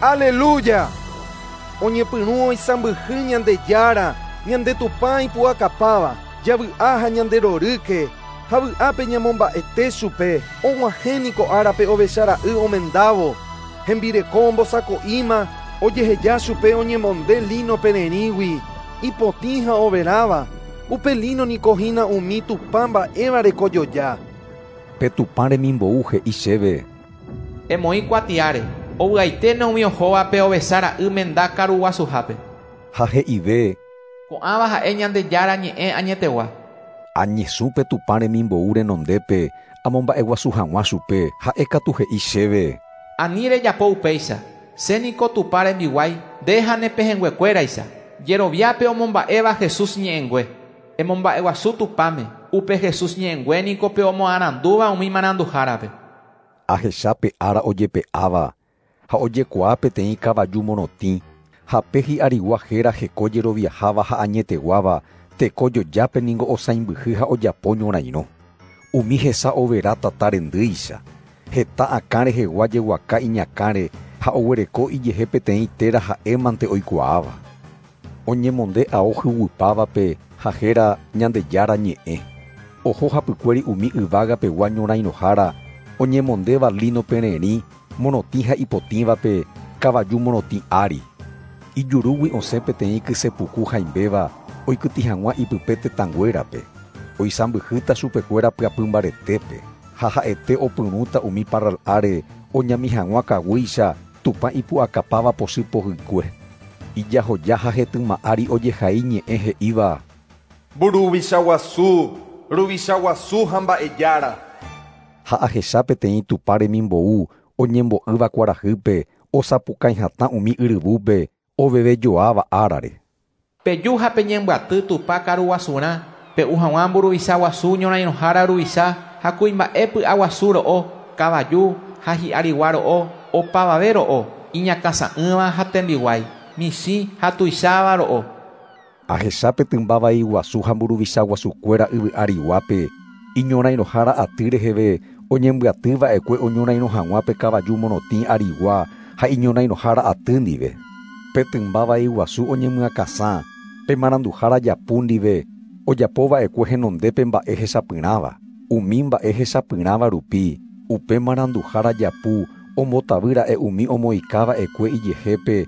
Aleluya! Oñepyrũ oisãmbyhy Ñandejára, ñande Tupã ipu'akapáva, javy'a ha ñanderorýke, ha vy'ápe ñamomba'ete chupe, og̃uahẽ niko árape ovechara'y omendávo, hembireko ombosako'íma, ojeheja chupe oñemonde lino pererĩgui, ipotĩ ha overáva, upe lino niko hína umi Tupã mba'éva rekojoja. Pe Tupã remimbou he'i chéve: Emoĩ kuatiáre, ovy'aiténe umi ohóvape ovechara'y menda karuguasuhápe. Ha he'ive: Ko'ãva ha'e Ñandejára ñe'ẽ añetegua. Añesũ pe Tupã remimbou renondépe amomba'eguasu hag̃ua chupe, ha'e katu he'i chéve: Ani rejapo upéicha, che niko Tupã rembiguái, nde ha ne pehẽnguekuéraicha, jeroviápe omomba'éva Jesús ñe'ẽngue. Emomba'eguasu Tupãme, upe Jesús ñe'ẽngue niko pe omoarandúva umi maranduhárape. Ahecha pe ára ojepe'áva ha ojekuaa peteĩ kavaju morotĩ, ha pe hi'arigua héra heko jeroviaháva ha añeteguáva, teko jojápe niko osãimbyhy ha ojapo ñorairõ. Umi hesa overa tata rendýicha, heta akã rehegua jeguaka iñakãre ha oguereko ijehe peteĩ téra ha'émante oikuaáva. Oñemonde ao huguypávape ha héra Ñandejára ñe'ẽ. Oho hapykuéri umi yvágapegua ñorairõhára, oñemondéva lino pererĩ, morotĩ ha ipotĩvape, kavaju morotĩ ári. Ijurúgui osẽ peteĩ kysepuku haimbéva oikytĩ hag̃ua ipype tetãnguérape. Oisãmbyhýta chupekuéra pyapy mbaretépe, ha ha'ete opyrũta umi parral'áre oñami hag̃ua kaguýicha Tupã ipu'akapáva pochy pohykue. Ijahoja ha hetyma ári ojehai ñe'ẽ he'íva: Mburuvicha guasu, ruvicha guasu ha mba'ejára. Ha ahecha peteĩ Tupã remimbou oñembo'ýva kuarahýpe, osapukái hatã umi yryvúpe, ovevejoáva árare. Peju ha peñembyaty Tupã karuguasurã, pe'u hag̃ua mburuvicha guasu ñorairõhára ruvicha ha kuimba'e py'aguasu ro'o, kavaju ha hi'arigua ro'o, opavave ro'o, iñakãsa'ỹva ha tembiguái, michĩ ha tuicháva ro'o. Ahecha pe tymba vai guasu ha mburuvicha guasukuéra yvy ariguápe, iñorairõhára aty reheve oñembyatyva'ekue oñorairõ hag̃ua pe kavaju morotĩ arigua ha iñorairõhára aty ndive. Pe tymba vai guasu oñemyakãsã, pe maranduhára japu ndive, ojapova'ekue henondépe mba'e hechapyrãva. Umi mba'e hechapyrãva rupi, upe maranduhára japu ombotavýra'e umi omoĩkava'ekue ijehépe,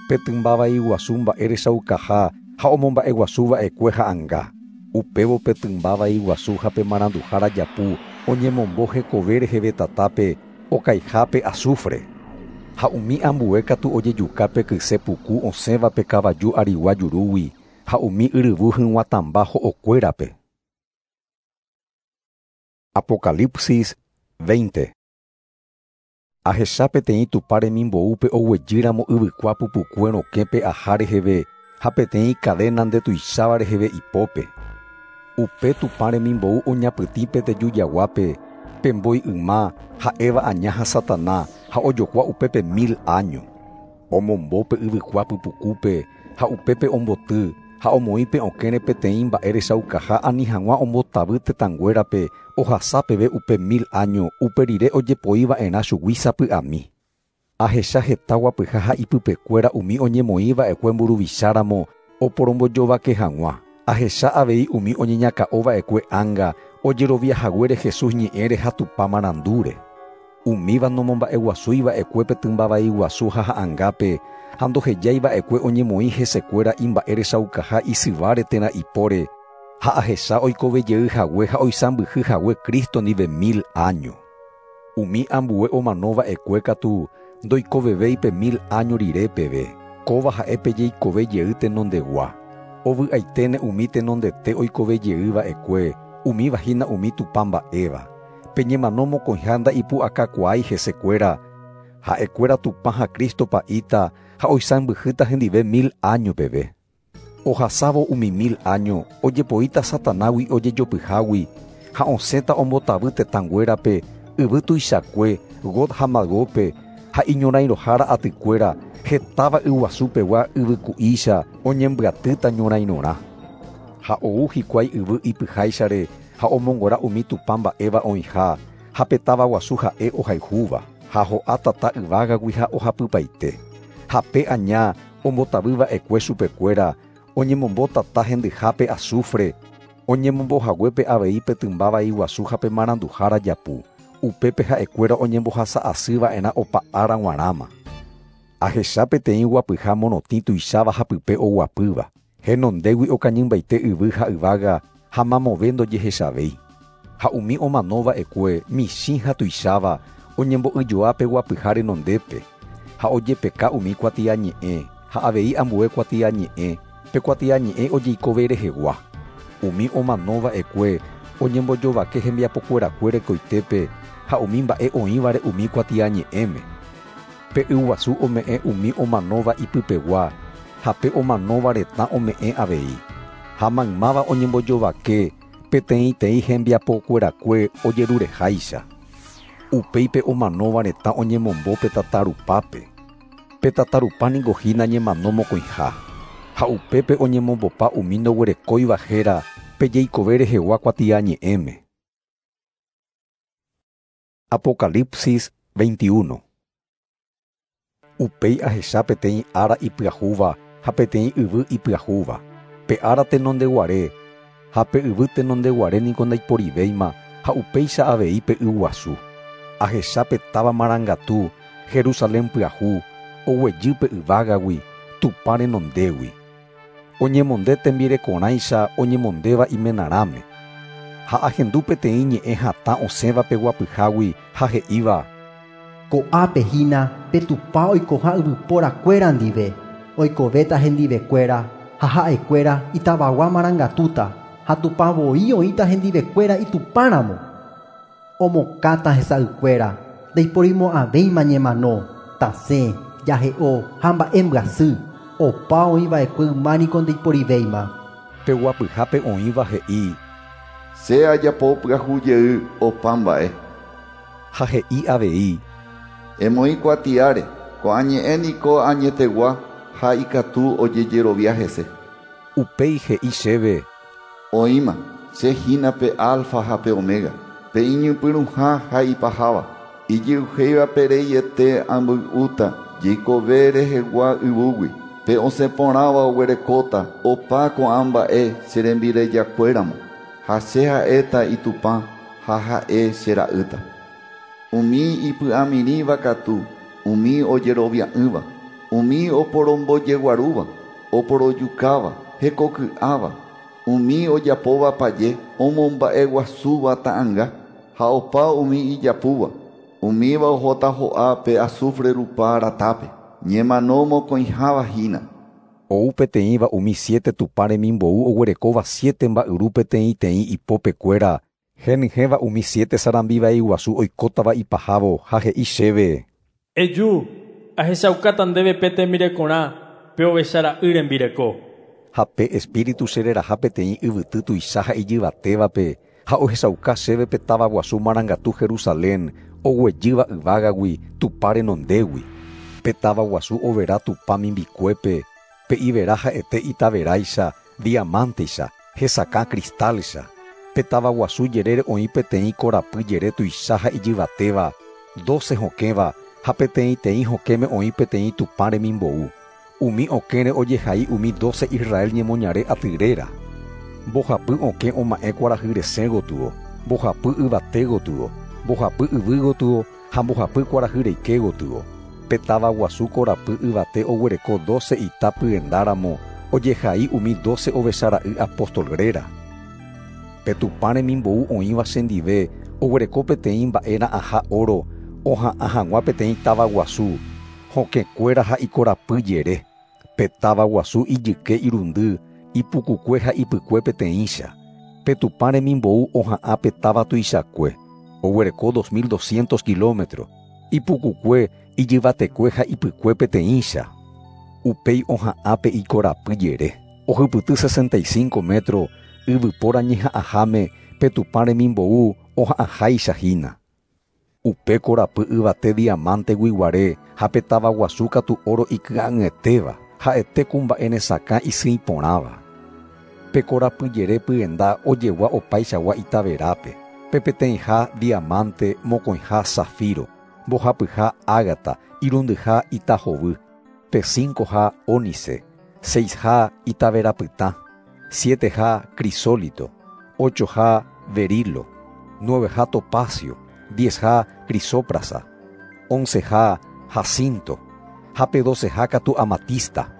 pe tymba vai guasu mba'e rechaukaha ha omomba'eguasuva'ekue ha'ãnga. Upévo pe tymba vai guasu ha pe maranduhára japu oñemombo hekove reheve tatápe okaihápe azufre. Ha umi ambue katu ojejuka pe kyse puku osẽva pe kavaju arigua jurúgui ha umi yryvu hyg̃uatãmba ho'okuérape. Apocalipsis veinte. Ahecha peteĩ Tupã remimboúpe oguejýramo yvykua pupukue rokẽpe aha reheve ha peteĩ cadena ndetuicháva reheve ipópe. Upe Tupã remimbou oñapytĩ pe tejujaguápe, pe mbói yma ha'éva aña ha Satana ha ojokua upépe mil año. Omombo pe yvykua pypukúpe ha upépe omboty Ha omoĩ pe okẽre peteĩ mba'e rechaukaha ani hag̃ua ombotavy tetãnguérape ohasa peve upe mil año upe rire ojepoiva'erã chugui sapy'ami. Ahecha heta guapyha ha ipypekuéra umi oñemoĩva'ekue mburuvicháramo oporombojovake hag̃ua. Ahecha avei umi oñeñakã'ova'ekue ánga ojeroviahaguére Jesús ñe'ẽre ha Tupã marandúre. Umíva nomomba'eguasúiva'ekue pe tymba vai guasu ha ha'angápe ha ndohejaiva'ekue oñemoĩ hesekuéra imba'e rechaukaha isyváre térã ipóre ha ahecha oikovejey hague ha oisãmbyhy hague Cristo ndive mil año. Umi ambue omanova'ekue katu ndoikovevéi pe mil año rire peve. Kóva ha'e pe jeikove jey tenondegua. Ovy'aiténe umi tenondete oikovejeyva'ekue, umíva hína umi Tupã mba'éva. Pe ñemano mokõiha nda'ipu'akakuaái hesekuéra, ha'ekuéra Tupã ha Cristo pa'íta ha oisãmbyhýta hendive mil año peve. Ohasávo umi mil año ojepoíta Satanágui ojejopyhágui ha osẽta ombotavy tetãnguérape yvy tuichakue Gog ha Magópe ha iñorãirohára atykuéra hetáva yguasupegua yvyku'ícha oñembyatýta ñorãirorã. Ha ou hikuái yvy ipyháichare ha omongora umi Tupã mba'éva oĩha ha pe táva guasu ha'e ohayhúva ha ho'a tata yvágagui ha ohapypaite. Ha pe aña ombotavyva'ekue chupekuéra oñemombo tata hendyhápe azufre oñemombohaguépe avei pe tymba vai guasu ha pe maranduhára japu. Upépe ha'ekuéra oñembohasa'asyva'erã opa ára g̃uarãma. Ahecha peteĩ guapyha morotĩ tuicháva ha pype oguapýva. Henondégui okañymbaite yvy ha yvága ha mamove ndojehechavéi. Ha umi omanova'ekue michĩ ha tuicháva oñembo'yjoa pe guapyha renondépe ha ojepeka umi kuatiañe'ẽ ha avei ambue kuatiañe'ẽ pe kuatiañe'ẽ ojeikove rehegua. Umi omanova'ekue oñembojovake hembiapokuerakue rekoitépe ha umi mba'e oĩvare umi kuatiañe'ẽme. Pe yguasu ome'ẽ umi omanóva ipypegua ha pe omanóva retã ome'ẽ avei. Ha maymáva oñembojovake peteĩteĩ hembiapokuerakue ojerureháicha. Upéi pe omanóva retã oñemombo pe tatarupápe. Pe tatarupa niko hína ñemano mokõiha. Ha upépe oñemombopa umi ndoguerekóiva héra pe jeikove rehegua kuatiañe'ẽme. Apocalipsis veintiuno. Upéi ahecha peteĩ ára ipyahúva ha peteĩ yvy ipyahúva. Pe ára tenondeguare ha pe yvy tenondeguare niko ndaiporivéima ha upéicha avei pe yguasu. Ahecha pe táva marangatu Jerusalén pyahu oguejy pe yvágagui Tupã renondégui. Oñemonde tembirekorãicha oñemondéva imenarãme. Ha ahendu peteĩ ñe'ẽ hatã osẽva pe guapyhágui ha he'íva: Ko'ápe hína pe Tupã oikoha yvyporakuéra ndive, oikovéta hendivekuéra ha ha'ekuéra itavagua marangatúta ha Tupã voi oĩta hendivekuéra itupãramo. Omokãta hesa'ykuéra, ndaiporimo'ãvéima ñemano, tasẽ, jahe'o ha mba'embyasy, opa oĩva'ekue yma niko ndaiporivéima. Pe guapyhápe oĩva he'i: Che ajapo pyahu jey opa mba'e. Ha he'i avei: Emoĩ kuatiáre, ko'ã ñe'ẽ niko añetegua ha ikatu ojejerovia hese. Upéi he'i chéve: Oĩma, che hína pe alfa ha pe omega, pe iñypyrũha ha ipaháva. Ijyuhéiva pereiete amboy'úta jeikove rehegua yvúgui. Pe osẽ porãva oguerekóta opa ko'ã mba'e che rembirejakuéramo. Ha che ha'éta itupã ha ha'e che ra'ýta. Umi ipy'amirĩva katu, umi ojerovia'ỹva, umi oporombojeguarúva, oporojukáva, hekoky'áva, umi ojapóva paje, omomba'eguasúva ta'ãnga, ha opa umi ijapúva, umíva ohóta ho'a pe azufre rupa ratápe, ñemano mokõiháva hína. Ou peteĩva umi siete Tupã remimbou oguerekóva siete mba'yru peteĩteĩ ipópekuéra, henyhẽva umi siete sarambi vai guasu oikótava ipahávo ha he'i chéve: Eju, ahechaukáta ndéve pe tembirekorã, pe ovechara'y rembireko. Ha pe espíritu chereraha peteĩ yvyty tuicha ha ijyvatévape ha ohechauka chéve pe táva guasu marangatu Jerusalén oguejýva yvágagui Tupã renondégui. Pe táva guasu overa Tupã mimbikuépe, pe ivera ha'ete itaveráicha diamanteicha, hesakã cristalcha. Pe táva guasu jerére oĩ peteĩ korapy jere tuicha ha ijyvatéva, doce hokẽva ha peteĩteĩ hokẽme oĩ peteĩ Tupã remimbou. Umi okẽre ojehai umi doce Israel ñemoñare aty réra. Mbohapy okẽ oma'ẽ kuarahy resẽ gotyo, mbohapy yvate gotyo, mbohapy yvy gotyo ha mbohapy kuarahy reike gotyo. Pe táva guasu korapy yvate oguereko doce ita pyendáramo ojehai umi doce ovechara'y apóstol réra. Pe Tupã remimbou oĩva chendive oguereko peteĩ mba'era'ãha oro oha'ã hag̃ua peteĩ táva guasu, hokẽkuéra ha ikorapy jere. Pe táva guasu ijyke irundy, ipukukue ha ipykue peteĩcha. Pe Tupã remimbou oha'ã pe táva tuichakue, oguereko dos mil doscientos kilómetros, ipukukue, ijyvatekue ha ipykue peteĩcha. Upéi oha'ã pe ikorapy jere, ohypyty sesenta y cinco metro, yvypóra ñeha'ãháme pe Tupã remimbou oha'ãháicha hína. Upe korapy yvate diamante guiguare ha pe táva guasu katu oro iky'a'ỹetéva, ha'ete ku mba'e nesakã isỹi porãva. Pe korapy jere pyenda ojegua opaichagua itaverápe, pe peteĩha diamante, mokõiha zafiro, mbohapyha ágata, irundyha itahovy, pe cincoha ónice, seisha itaverapytã, sieteha crisólito, ochoha berilo, nueveha topacio, diezha crisóprasa, onceha jacinto, ha pe doceha katu amatista.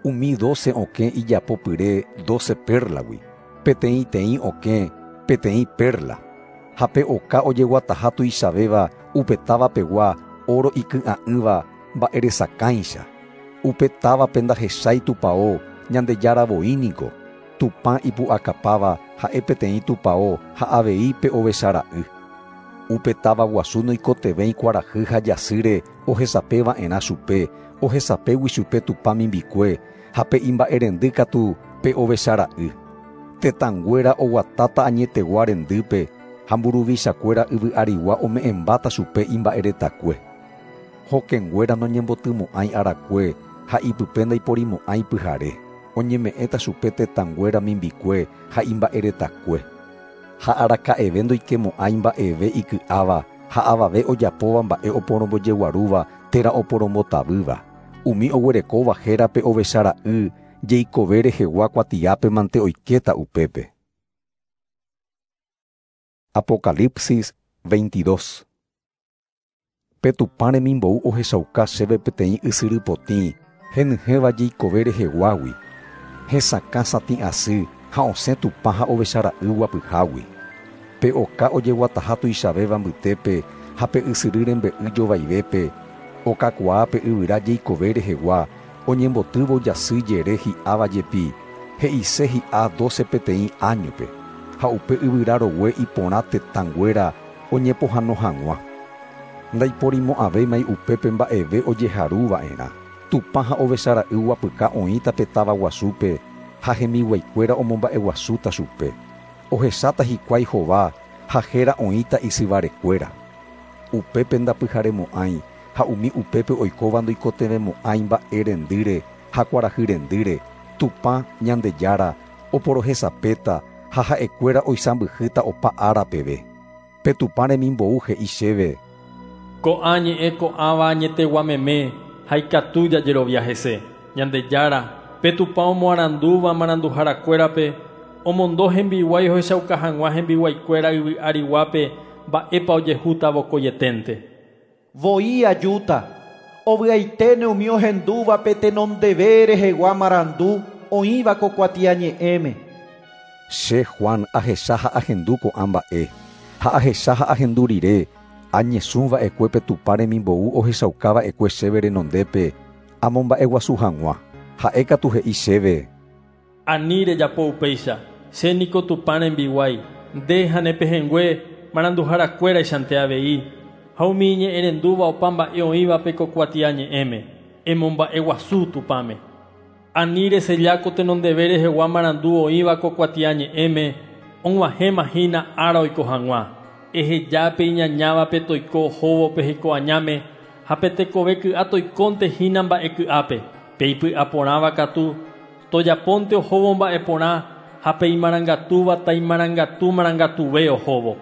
Umi doce okẽ ijapopyre doce perlagui, peteĩteĩ okẽ peteĩ perla, ha pe oka ojeguataha tuichavéva upe táva pegua oro iky'a'ỹva mba'eresakãicha. Upe távape ndahechái tupão Ñandejára voíniko, Tupã ipu'akapáva ha'e peteĩ tupão ha avei pe ovechara'y. Upe táva guasu noikotevẽi kuarahy ha jasýre ohesapeva'erã chupe, ohesapégui chupe Tupã mimbikue ha pe imba'erendy katu pe ovechara'y. Tetãnguéra oguatáta añetegua rendýpe ha mburuvichakuéra yvy arigua ome'ẽmbáta chupe imba'eretakue. Hokẽnguéra noñembotymo'ãi arakue ha ipype ndaiporimo'ãi pyhare. Oñeme'ẽta chupe tetãnguéra mimbikue ha imba'eretakue. Ha araka'eve ndoikemo'ãi mba'eve iky'áva ha avave ojapóva mba'e oporombojeguarúva térã oporombotavýva. Umi oguerekóva hérape ovechara'y jeikove rehegua kuatiápe mante oikéta upépe. Apocalipsis veintidós. Pe Tupã remimbou ohechauka chéve peteĩ ysyry potĩ henyhẽva jeikove reheguágui, hesakã satĩ asy ha osẽ Tupã ha ovechara'y guapyhágui. Pe oka ojeguataha tuichavéva mbytépe ha pe ysyry rembe'y jovaivépe, okakuaa pe yvyra jeikove rehegua oñembotývo jasy jere hi'áva jepi, he'ise hi'a doce peteĩ áñope, ha upe yvyra rogue iporã tetãnguéra oñepohãno hag̃ua. Ndaiporimo'ãvémai upépe mba'eve ojeharuva'erã. Tupã ha ovechara'y guapyka oĩta pe táva guasúpe ha hembiguaikuéra omomba'eguasúta chupe. Ohecháta hikuái hova ha héra oĩta isyvarekuéra. Upépe ndapyharemo'ãi ha umi upépe oikóva ndoikotevẽmo'ãi mba'e rendýre ha kuarahy rendýre. Tupã Ñandejára oporohesapéta ha ha'ekuéra oisãmbyhýta opa ára peve. Pe Tupã remimbou he'i chéve: Ko'ã ñe'ẽ ko'ãva añetegua meme ha ikatu jajerovia hese. Ñandejára, pe Tupã omoarandúva maranduharakuérape, omondo hembiguái ohechauka hag̃ua hembiguaikuéra yvy ariguápe mba'épa ojehúta vokoieténte. Voi ajúta, ovy'aiténe umi ohendúvape tenondeve rehegua marandu oĩva ko kuatiañe'ẽme. Che Juan ahecha ha ahendu ko'ã mba'e, ha ahecha ha ahendu rire, añesũva'ekue pe Tupã remimbou ohechaukava'ekue chéve renondépe amomba'eguasu hag̃ua. Ha'e katu he'i chéve: Ani rejapo upéicha, che niko Tupã rembiguái, nde ha ne pehẽngue maranduharakuéraichante avei, ha umi iñe'ẽrendúva opa mba'e oĩvape ko kuatiañe'ẽme, emomba'eguasu Tupãme. Ani reselláko tenondeve rehegua marandu oĩva ko kuatiañe'ẽme, og̃uahẽma hína ára oiko hag̃ua. Ehejápe iñañávape toiko ohóvo pe hekoañáme ha pe tekove ky'a toikónte hína mba'e ky'ápe. Pe ipy'aporãva katu Tojapónte ohóvo mba'eporã ha pe imarangatúva taimarangatu marangatuve ohóvo.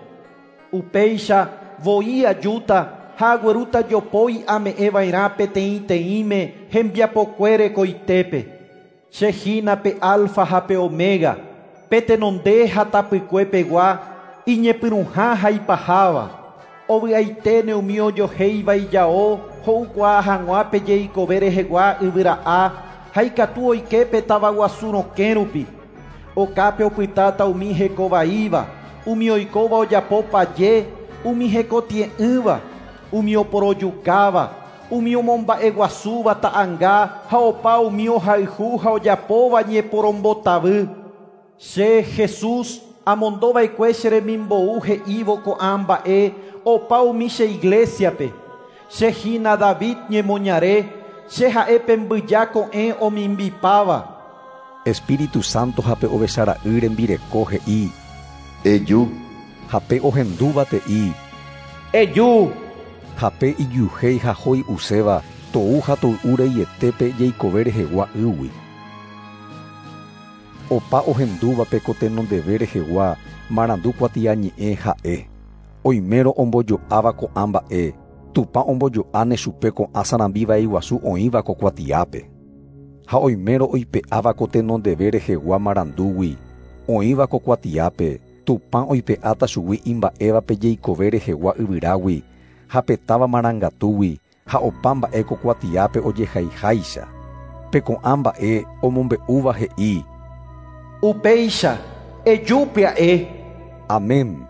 Upéicha voi ajúta ha aguerúta jopói ame'ẽva'erã peteĩteĩme hembiapokuére koitépe. Che hína pe alfa ha pe omega, pe tenonde ha tapykuepegua, iñepyrũha ha ipaháva. Ovy'aiténe umi ojohéiva ijao ho'ukuaa hag̃ua pe jeikove rehegua yvyra'a ha ikatu oike pe tavaguasu rokẽ rupi. Okápe opytáta umi hekovaíva, umi oikóva ojapo paje, umi hekotie'ỹva, umi oporojukáva, umi omomba'eguasúva ta'anga ha opa umi ohayhu ha ojapóva ñeporombotavy. Che Jesús amondova'ekue che remimbou he'ívo ko'ã mba'e opa umi che iglesiape. Che hína David ñemoñare, che ha'e pe mbyja ko'ẽ omimbipáva. Espíritu Santo ha pe ovechara'y rembireko he'i: Eju. Ha pe ohendúva te'i: Eju. Ha pe ijyuhéi ha hoy'uséva tou ha toy'u reietépe jeikove rehegua ýgui. Opa ohendúvape ko tenondeve rehegua marandu kuatiañe'ẽ ha'e. Oimérõ ombojo'áva ko'ã mba'e, Tupã ombojo'áne chupe ko'ã sarambi vai guasu oĩva ko kuatiápe. Ha oimérõ oipe'áva ko tenondeve rehegua marandúgui oĩva ko kuatiápe, Tupã oipe'áta chugui imba'évape jeikove rehegua yvyrágui ha pe táva marangatúgui ha opa mba'e ko kuatiápe ojehaiháicha. Pe ko'ã mba'e omombe'úva he'i: Upéicha, eju pya'e. Amén.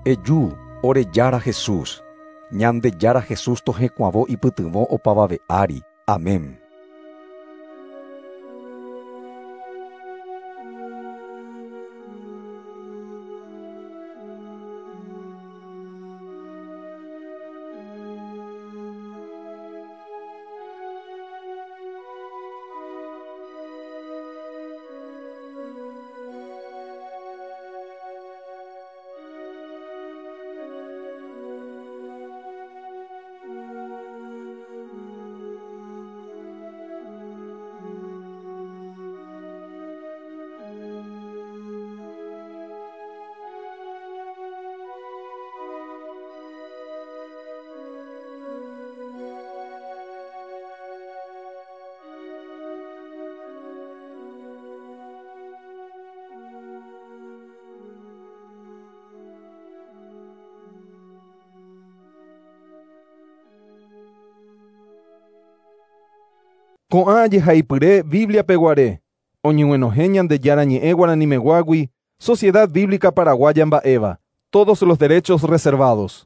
Eju, ore Jára Jesús. Ñandejára Jesús tohekuavo ipytyvõ opavave ári. Amén. Ko'ã jehaipyre Biblia peguare, oñeguenohẽ Ñandejára ñe'ẽ guaranimeguágui, Sociedad Bíblica Paraguaya mba'éva. Todos los derechos reservados.